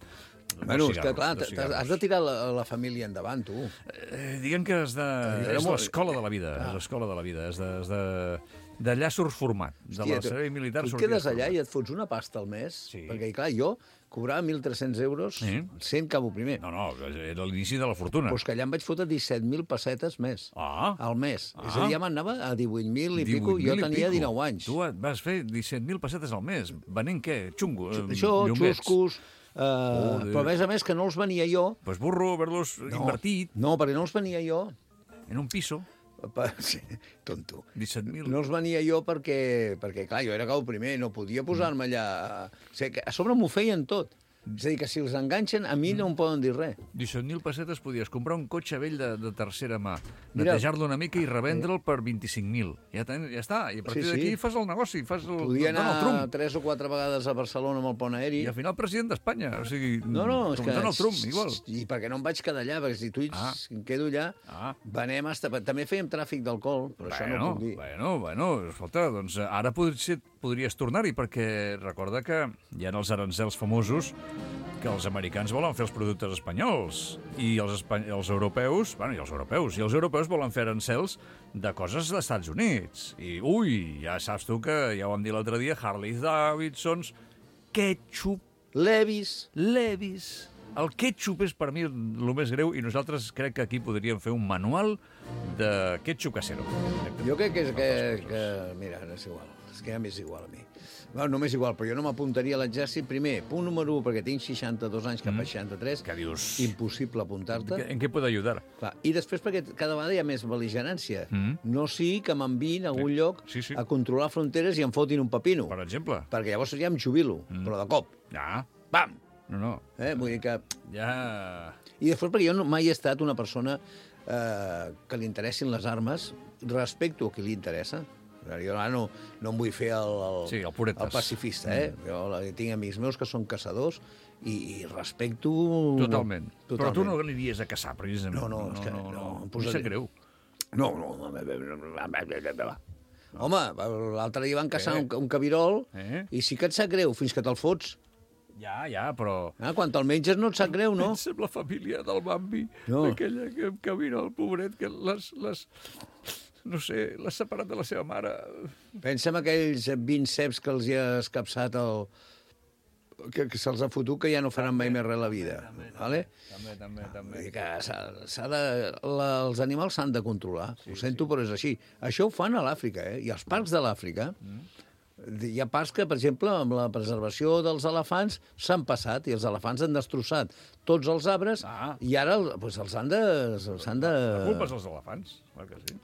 Dos Bueno, és que cigarros, clar, dos t'has- cigarros. has de tirar la, la família endavant, tu. Eh, diguem que és, de, era és molt- l'escola de la vida, Clar. és l'escola de la vida, és de, és de, d'allà surts format, de Hòstia, la servei militar tu et sorties quedes allà format. i et fots una pasta al mes, Sí. perquè, clar, jo cobrava mil tres-cents euros, Sí. sent cabo primer. No, no, era l'inici de la fortuna. Pues que allà em vaig fotre disset mil pessetes més. Ah. Al mes. Ah. És a dir, ja m'anava a divuit mil i pico, divuit jo mil i tenia pico. dinou anys. Tu vas fer disset mil pessetes al mes. Venent què? Xungo? eh, Això, llombets? xuscos... Uh, Joder. però a més a més que no els venia jo. Pues burro, haver-los No, invertit no, perquè no els venia jo. en un piso. Pa- Sí, tonto. disset mil. No els venia jo perquè, perquè clar, jo era cau primer, no podia posar-me allà... O sigui, que a sobre m'ho feien tot. És a dir, que si els enganxen, a mi no em poden dir res. disset mil pessetes podies comprar un cotxe vell de, de tercera mà, Mira. netejar-lo una mica i revendre'l per vint-i-cinc mil. Ja, ten, ja està. I a partir Sí, sí. d'aquí fas el negoci, fas el Podia Donald anar Trump. tres o quatre vegades a Barcelona amb el pont aeri. I al final president d'Espanya. O sigui, No, no, és com que... Donald Trump, igual. I perquè no em vaig quedar allà, perquè si tu ets, Ah. em quedo allà, Ah. venem hasta... També fèiem tràfic d'alcohol, però això no ho puc dir. Bueno, bueno, escolta, doncs eh, ara potser podries tornar-hi, perquè recorda que hi ha els arancels famosos que els americans volen fer els productes espanyols i els, espany els europeus, bueno, i els europeus, i els europeus volen fer arancels de coses dels Estats Units. I, ui, ja saps tu que, ja ho vam dir l'altre dia, Harley Davidsons, ketchup, Levis, Levis... El ketchup és per mi el més greu i nosaltres crec que aquí podríem fer un manual de ketchup casero. jo crec que és que, que... Mira, és igual. És que ja m'és igual a mi. Bueno, no m'és igual, però jo no m'apuntaria a l'exèrcit. Primer, punt número u, perquè tinc seixanta-dos anys cap a seixanta-tres. Què dius? Impossible apuntar-te. En què pot ajudar? Clar, i després perquè cada vegada hi ha més bel·ligerància. Mm. No sigui que m'enviïn a algun lloc Sí, sí. a controlar fronteres i em fotin un pepino. Per exemple. Perquè llavors ja em jubilo, Mm. però de cop. Ja. Pam! No, no. Eh? Vull dir que... Ja... I després perquè jo no, mai he estat una persona eh, que li interessin les armes, respecto a qui li interessa. Jo ara no, no em vull fer el, el, Sí, el puretes. el pacifista, eh? Mm. Jo la- tinc amics meus que són caçadors i, i respecto... Totalment. Totalment. Però tu no aniries a caçar, precisament. No, no, és que no, no. em Em posaré- sap greu. No, no. Home, l'altre dia van caçar un, un cabirol Eh? i sí que et sap greu, fins que te'l fots. Ja, ja, però... Ah, quan te'l menges no et sap greu, no? Pensa en la família del Bambi, No. aquella que, que mira el pobret, que les, les... No sé, l'ha separat de la seva mare. Pensa en aquells vint ceps que els hi ha escapçat el... que, que se'ls ha fotut, que ja no faran mai més res a la vida. Vale? També, també, Vull també. dir que s'ha- s'ha de, la, els animals s'han de controlar. Sí, ho sento, sí. Però és així. Això ho fan a l'Àfrica, eh? I als parcs de l'Àfrica... Mm. Hi ha parcs que, per exemple, amb la preservació dels elefants s'han passat i els elefants han destrossat tots els arbres Ah. i ara pues, els han de... S'han de... La culpa és dels elefants, clar que sí.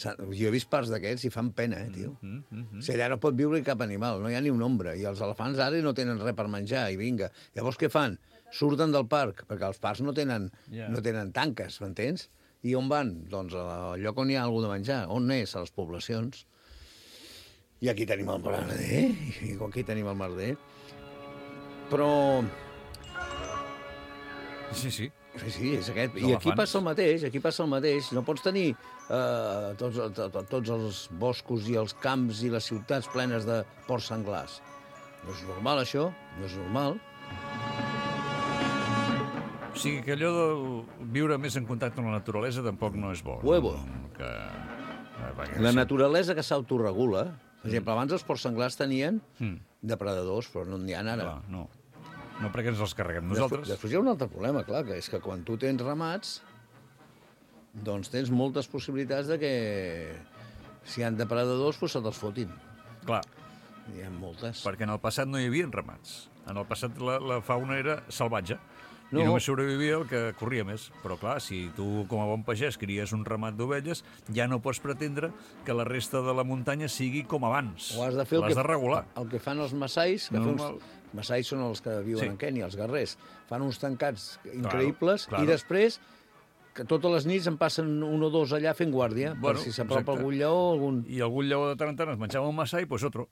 s'han- Jo he vist parcs d'aquests i fan pena, eh, tio. Mm, mm, mm. O sigui, allà no pot viure cap animal, no hi ha ni un ombra. I els elefants ara no tenen res per menjar, i vinga. Llavors què fan? Surten del parc, perquè els parcs no tenen, Ja. no tenen tanques, m'entens? I on van? Doncs al lloc on hi ha algú de menjar. On és? A les poblacions. I aquí tenim el merder, i aquí tenim el merder. Però... Sí, sí. Sí, sí, és aquest. Els I aquí elefants. passa el mateix, aquí passa el mateix. No pots tenir eh, tots, to- to- tots els boscos i els camps i les ciutats plenes de porcs senglars. No és normal, això, no és normal. O sigui que allò de viure més en contacte amb la naturalesa tampoc no és bo. Huevo. Que... eh, perquè La sí. naturalesa que s'autoregula. Per exemple, abans els porcs senglars tenien Mm. depredadors, però no n'hi ha ara. Clar, no. No perquè ens els carreguem Després, nosaltres. després hi ha un altre problema, clar, que és que quan tu tens ramats, doncs tens moltes possibilitats de que si hi ha depredadors, doncs se te'ls fotin. Clar, Hi ha moltes. perquè en el passat no hi havia ramats. En el passat la, la fauna era salvatge. No. I només sobrevivia el que corria més. Però clar, si tu com a bon pagès cries un ramat d'ovelles, ja no pots pretendre que la resta de la muntanya sigui com abans. O has de fer el L'has que, de regular. el que fan els massais, que Normal. fan uns, massais són els que viuen Sí. en Kènia, els guerrers, fan uns tancats increïbles, claro. i després que totes les nits en passen un o dos allà fent guàrdia, Bueno, per si s'apropa exacte. algun lleó, algun... I algun lleó de tant en tant es menjava un massai, doncs otro.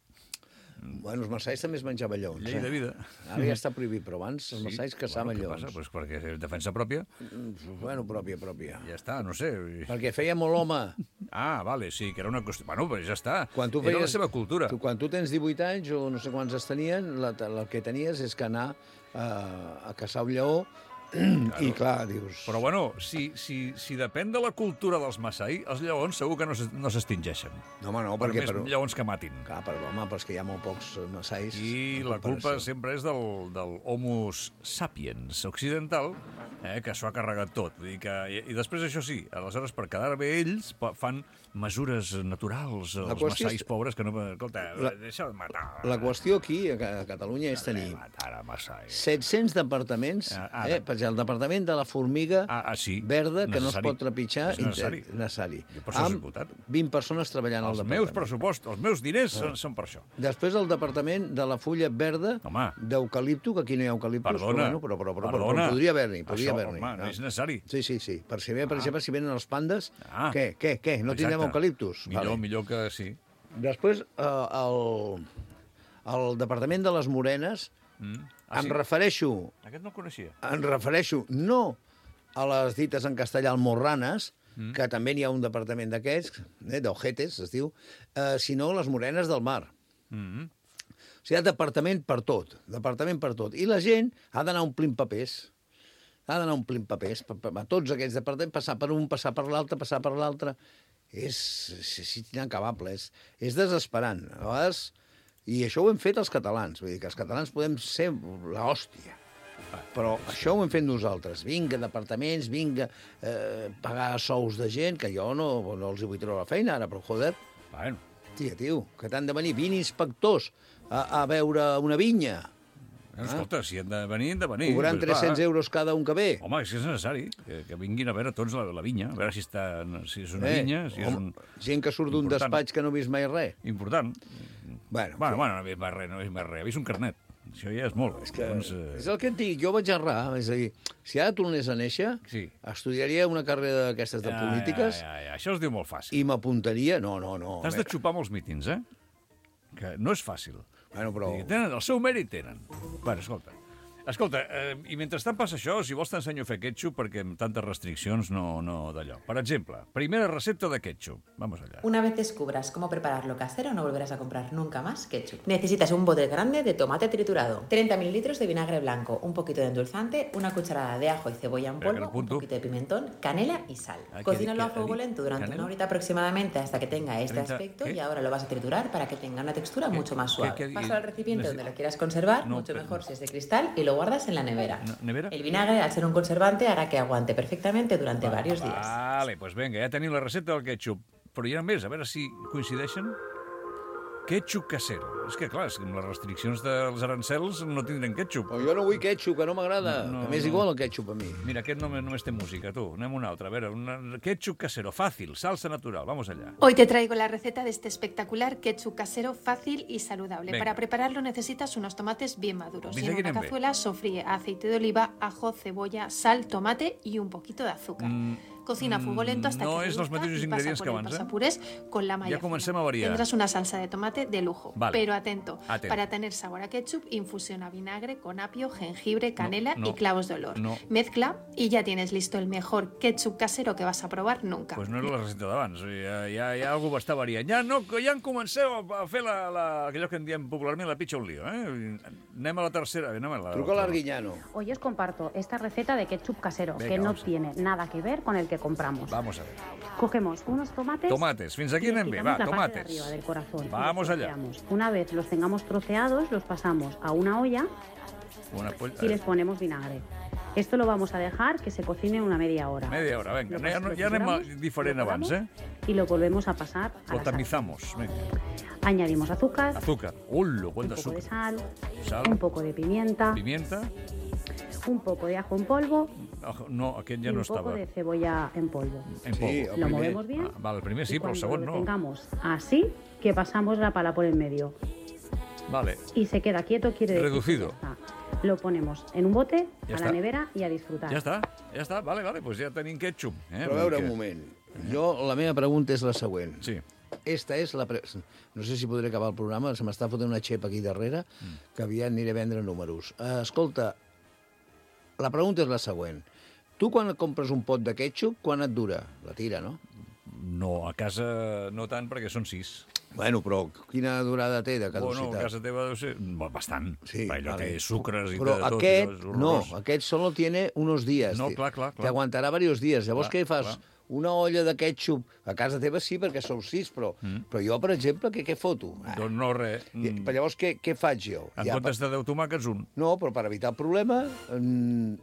Bueno, els massais també es menjaven lleons. Llei de vida. Ara ja està prohibit, però abans els massais caçaven bueno, què lleons. passa? Pues perquè és defensa pròpia. Bueno, pròpia, pròpia. Ja està, no sé. Perquè feia molt home. Ah, vale, sí, que era una qüestió... Bueno, però ja està. Quan tu Era feies, la seva cultura. Tu, quan tu tens divuit anys o no sé quants es tenien, la, el que tenies és que anar uh, a caçar un lleó I clar, dius... Però bueno, si, si, si depèn de la cultura dels Masai, els lleons segur que no s'es- no s'extingeixen. No, home, no, Per perquè... més Per... lleons que matin. Clar, però, home, però és que hi ha molt pocs massais. I en la culpa comparació. sempre és del, del Homo sapiens occidental, eh, que s'ho ha carregat tot. Vull dir que, i, I després, això sí, aleshores, per quedar bé ells, pa- fan mesures naturals, La els qüestió és- massais pobres, que no... Escolta, La- deixa de matar. La qüestió aquí, a Ca- a Catalunya, és tenir Matar a Masai. set-cents departaments, Ah, ara. eh, per exemple, el departament de la formiga Ah, ah, sí. verda, que no es Necessari. pot trepitjar, És necessari. inter- necessari. Jo per això soc amb diputat. vint persones treballant al Els departament. meus pressupostos, els meus diners són, són per això. Després el departament de la fulla verda d'eucalipto, que aquí no hi ha eucaliptus, Perdona, però, bueno, però, però, però, però, perdona. però podria haver-n'hi, podria Això, haver-n'hi. home, no és necessari. Sí, sí, sí. Per si ve, per exemple, si venen els pandes, Ah. què, què, què? No tindrem Exacte. eucaliptus? Millor, millor que sí. Després, eh, el, el departament de les morenes, Mm. em refereixo Aquest no el coneixia. em refereixo no a les dites en castellà almorranes, Mm. que també n'hi ha un departament d'aquests, eh, d'ojetes, es diu, eh, sinó les morenes del mar. Mm. O sigui, hi ha departament per tot, departament per tot. I la gent ha d'anar omplint papers. Ha d'anar omplint papers. Per, per, a tots aquests departaments, passar per un, passar per l'altre, passar per l'altre. És, és, és inacabable, és, és desesperant. A vegades, i això ho hem fet els catalans. Vull dir que els catalans podem ser l'hòstia. Però això ho hem fet nosaltres. Vinga, departaments, vinga, eh, pagar sous de gent, que jo no, no els hi vull treure la feina ara, però joder. Bueno. Tia, tio, que t'han de venir vint inspectors a, a veure una vinya. Escolta, si han de venir, han de venir. Cobrant Doncs tres-cents va. euros cada un que ve. Home, és que és necessari que, que vinguin a veure tots la, la vinya, a veure si, està, si és una Eh, vinya, si és home, un... gent que surt d'un important. despatx que no ha vist mai res. Important. Bueno, Bueno, bueno, no ha vist mai res, no ha vist mai res. Ha vist un carnet. Això ja és molt. És que, doncs, eh, és el que et dic, jo vaig errar. És a dir, si ara tornés a néixer, sí. estudiaria una carrera d'aquestes de Ja, polítiques Ja, ja, ja. Això es diu molt fàcil. i m'apuntaria... No, no, no. T'has de xupar molts mítings, eh? Que no és fàcil. Bueno, però... I tenen, el seu mèrit tenen. Bueno, escolta. Escolta, eh, i mentrestant passa això, si vols t'ensenyo a fer ketchup, perquè amb tantes restriccions no, no d'allò. Per exemple, primera recepta de ketchup. Vamos allá. Una vez descubras cómo prepararlo casero, no volverás a comprar nunca más ketchup. Necesitas un bote grande de tomate triturado, treinta mililitros de vinagre blanco, un poquito de endulzante, una cucharada de ajo y cebolla en Espera, que polvo, lo apunto. un poquito de pimentón, canela y sal. Ah, Cocínalo ¿qué- a fuego qué- lento durante canela? una horita aproximadamente hasta que tenga este treinta, aspecto ¿qué? y ahora lo vas a triturar para que tenga una textura mucho más suave. qué- qué- Pásalo al recipiente neces- donde lo quieras conservar, No, mucho pero- mejor si es de cristal, y lo guardas en la nevera. No, ¿Nevera? El vinagre, al ser un conservante, hará que aguante perfectamente durante varios días. Vale, doncs vinga, ja tenim la recepta del ketchup. Però hi ha més, a veure si coincideixen. Ketchup casero. És que, clar, és que amb les restriccions dels arancels no tindrem ketchup. Oh, jo no vull ketchup, que no m'agrada. No, no, a més, no. igual el ketchup a mi. Mira, aquest només, només té música, tu. Anem a un altre. A veure, un ketchup casero, fàcil, salsa natural. Vamos allá. Hoy te traigo la receta de este espectacular ketchup casero fácil y saludable. Venga. Para prepararlo necesitas unos tomates bien maduros. Fins Y en aquí una anem bé. cazuela sofríe aceite de oliva, ajo, cebolla, sal, tomate y un poquito de azúcar. Cocina a fuego lento hasta no que és els reduzca mateixos y pasa ingredients por que el abans, eh? pasapurés con la malla Ja comencem fina. a variar. Tendrás una salsa de tomate de lujo. Vale. Pero atento, Atento. para tener sabor a ketchup, infusiona vinagre con apio, jengibre, canela no, y clavos de olor. no. Mezcla y ya tienes listo el mejor ketchup casero que vas a probar nunca. Pues no era la recepta d'abans, ja, ja, ja algú està variant. Ja, no, ja en comenceu a fer la, la, allò que en diem popularment la pitxa un lío, eh? Anem a la tercera. Anem a la, Truca a l'Arguiñano. Hoy os comparto esta receta de ketchup casero, Venga, que no vamos a ver. tiene nada que ver con el que compramos. Vamos a ver. Cogemos unos tomates. Tomates, fins aquí y les anem bé, quitamos va, la parte de tomates. arriba del corazón. Vamos Los allá. troceamos. Una vez los tengamos troceados, los pasamos a una olla Una poll... y les ponemos vinagre. Esto lo vamos a dejar que se cocine una media hora. Media hora, vinga. Lo Ja, pas- ja anem a- lo diferent abans, eh? Y lo volvemos a pasar a Lo la sal. tamizamos. Vinga. Añadimos azúcar, Azúcar. Ullo, un quant poco de d'azúcar. sal, Sal. un poco de pimienta, Pimienta. un poco de ajo en polvo Ajo- No, aquest y ja no un poco estava. de cebolla en polvo. En polvo. Sí, Lo movemos bien. Ah, vale, el primer sí, y però el cuando segon lo no. tengamos así, que pasamos la pala por el medio Vale. y se queda quieto, quiere decir Reducido. que ya está. Lo ponemos en un bote, Ya a está. la nevera y a disfrutar. Ja està, ja està. Vale, vale, doncs ja tenim ketchup. Eh? Però a veure, Perquè- un moment. Jo, la meva pregunta és la següent. Sí. Esta és la... Pre... No sé si podré acabar el programa, se m'està fotent una xepa aquí darrere, Mm. que aviat aniré a vendre números. Uh, escolta, la pregunta és la següent. Tu, quan et compres un pot de ketchup, quan et dura? La tira, no? No, a casa no tant, perquè són sis. Bueno, però quina durada té de caducitat? Bueno, a casa teva deu ser bastant. Sí, allò vale. té sucres i però de tot. aquest, això és no, horrorós. aquest solo tiene unos días. No, clar, clar, clar. Te aguantarà diversos dies. Llavors Clar, què fas? clar. Una olla de ketchup a casa teva sí, perquè sou sis, però, mm. però jo, per exemple, què, què foto? Ah. Doncs no, res. I, però llavors què, què faig jo? En Ja, comptes de deu tomàquets, un. No, però per evitar el problema mm,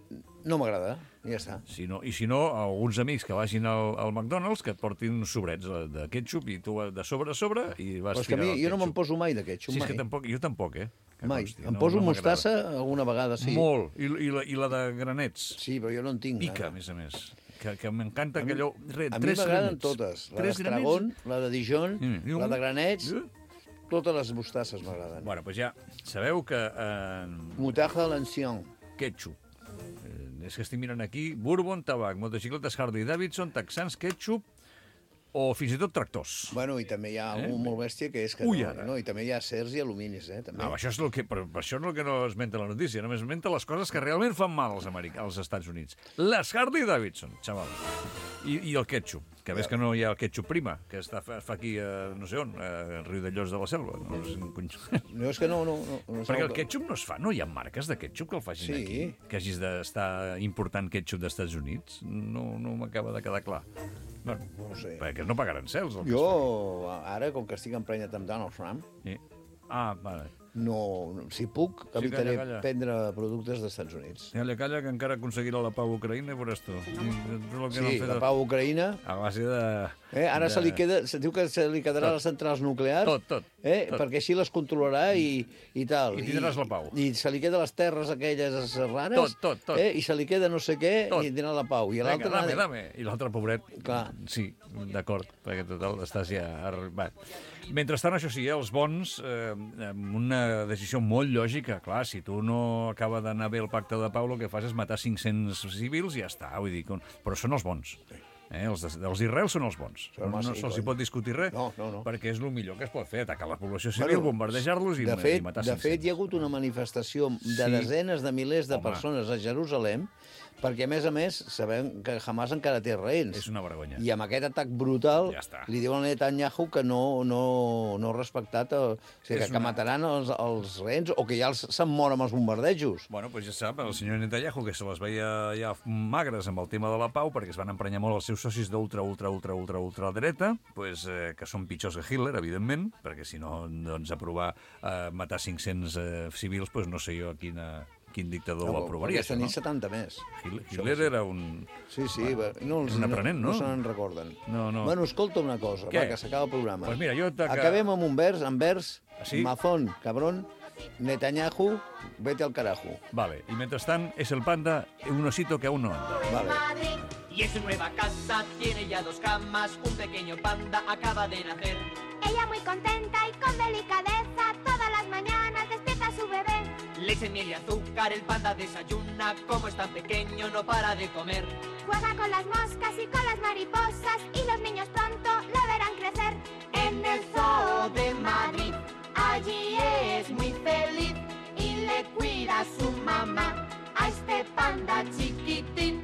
no m'agrada. I ja està. Si no, I si no, alguns amics que vagin al, al McDonald's que et portin uns sobrets de, de ketchup i tu de sobre a sobre i vas Però és que a tirant mi, el jo no me'n ketchup. poso mai de ketchup, Sí, és mai. que tampoc, jo tampoc, eh? Que Mai. consti, Em no- poso no m'agrada. mostassa alguna vegada, sí. Molt. I, i, la, I la de granets. Sí, però jo no en tinc. Pica, ara. a més a més. Que, que m'encanta A mi- aquellò... Re, A mi tres m'agraden granets. totes. La Tres d'Estragon, granets. la de Dijon, Mm, i la un- de granets, totes les mostasses m'agraden. Bueno, doncs ja sabeu que... Eh, Motarda a l'ancien. ketchup. Eh, és que estic mirant aquí Bourbon, tabac, motocicletes Harley Davidson, texans, ketchup o fins i tot tractors. Bueno, i també hi ha Eh? algú molt bèstia que és que Ui, no, ara. no, i també hi ha acers i aluminis, eh, també. No, això és el que, però això és el que no esmenta la notícia, només esmenta les coses que realment fan mal als, Americans, als Estats Units. Les Harley Davidson, xaval. I, I el ketchup, que ves que no hi ha el ketchup prima, que està, fa, fa aquí, a, no sé on, a Riu de Llos de la Selva. No, sé, un cony... No, és que no, no, no, no Perquè el sap- ketchup no es fa, no hi ha marques de ketchup que el facin Sí. aquí. Que hagis d'estar important ketchup dels Estats Units. No, no m'acaba de quedar clar. Bueno, no ho sé. Perquè no pagaran cels. El que es Jo, ara, com que estic emprenyat amb Donald Trump, fa. Sí. Ah, vale. no, no, si puc, Sí, evitaré calla, calla. prendre productes dels Estats Units. Calla, calla, que encara aconseguirà la pau a Ucraïna i veuràs tu. I, tot el que no han Sí, fet la de- pau a Ucraïna... A base de... Eh, ara de... se li queda, se diu que se li quedarà Tot. les centrals nuclears, Tot, tot, eh, tot. perquè així les controlarà i, i tal. I tindràs la pau. I se li queden les terres aquelles rares, Tot, tot, tot. Eh, i se li queda no sé què Tot. i tindrà la pau. I Vinga, l'altre... dame, dame. I l'altre, pobret, Clar. sí, d'acord, perquè total, estàs ja... Va. Mentrestant, això sí, eh, els bons, eh, amb una decisió molt lògica, clar, si tu no acaba d'anar bé el pacte de pau, el que fas és matar cinc-cents civils i ja està, vull dir, com... però són els bons. Eh, els, de, els d'Israel són els bons. Són No, no massa se'ls hi cony. pot discutir res, No, no, no. perquè és el millor que es pot fer, atacar la població civil, bombardejar-los i, de i fet, matar de cinc-cents. fet, hi ha hagut una manifestació de Sí. desenes de milers de Home. persones a Jerusalem perquè, a més a més, sabem que Hamas encara té rehens. És una vergonya. I amb aquest atac brutal Ja està. li diuen a Netanyahu que no, no, no ha respectat, el, o sigui, És que, una- que mataran els, els rehens o que ja els- se'n mor amb els bombardejos. Bueno, doncs ja sap, el senyor Netanyahu, que se les veia ja magres amb el tema de la pau, perquè es van emprenyar molt els seus socis d'ultra, ultra, ultra, ultra, ultra dreta, pues, eh, que són pitjors que Hitler, evidentment, perquè si no, doncs, aprovar eh, matar cinc-cents eh, civils, pues, no sé jo a quina, quin dictador ho aprovaria, Aquesta això, no? nit setanta més. Hitler, Això Hitler sí. era un... Sí, sí, va, no, els, Era un aprenent, no? No, no se n'en recorden. No, no. Bueno, escolta una cosa, Què? va, que s'acaba el programa. Pues mira, jo t'aca- Acabem amb un vers, amb vers, Ah, sí? Mazón, cabrón, Netanyahu, vete al carajo. Vale, y mientras tanto, es el panda, un osito que aún no anda. Vale. Y en su nueva casa tiene ya dos camas, un pequeño panda acaba de nacer. Ella muy contenta y con delicadeza todas las mañanas despierta a su bebé. Leche, miel y azúcar, el panda desayuna, como es tan pequeño no para de comer. Juega con las moscas y con las mariposas y los niños pronto lo verán crecer. En el zoo de Madrid, allí es muy feliz y le cuida a su mamá. A este panda chiquitín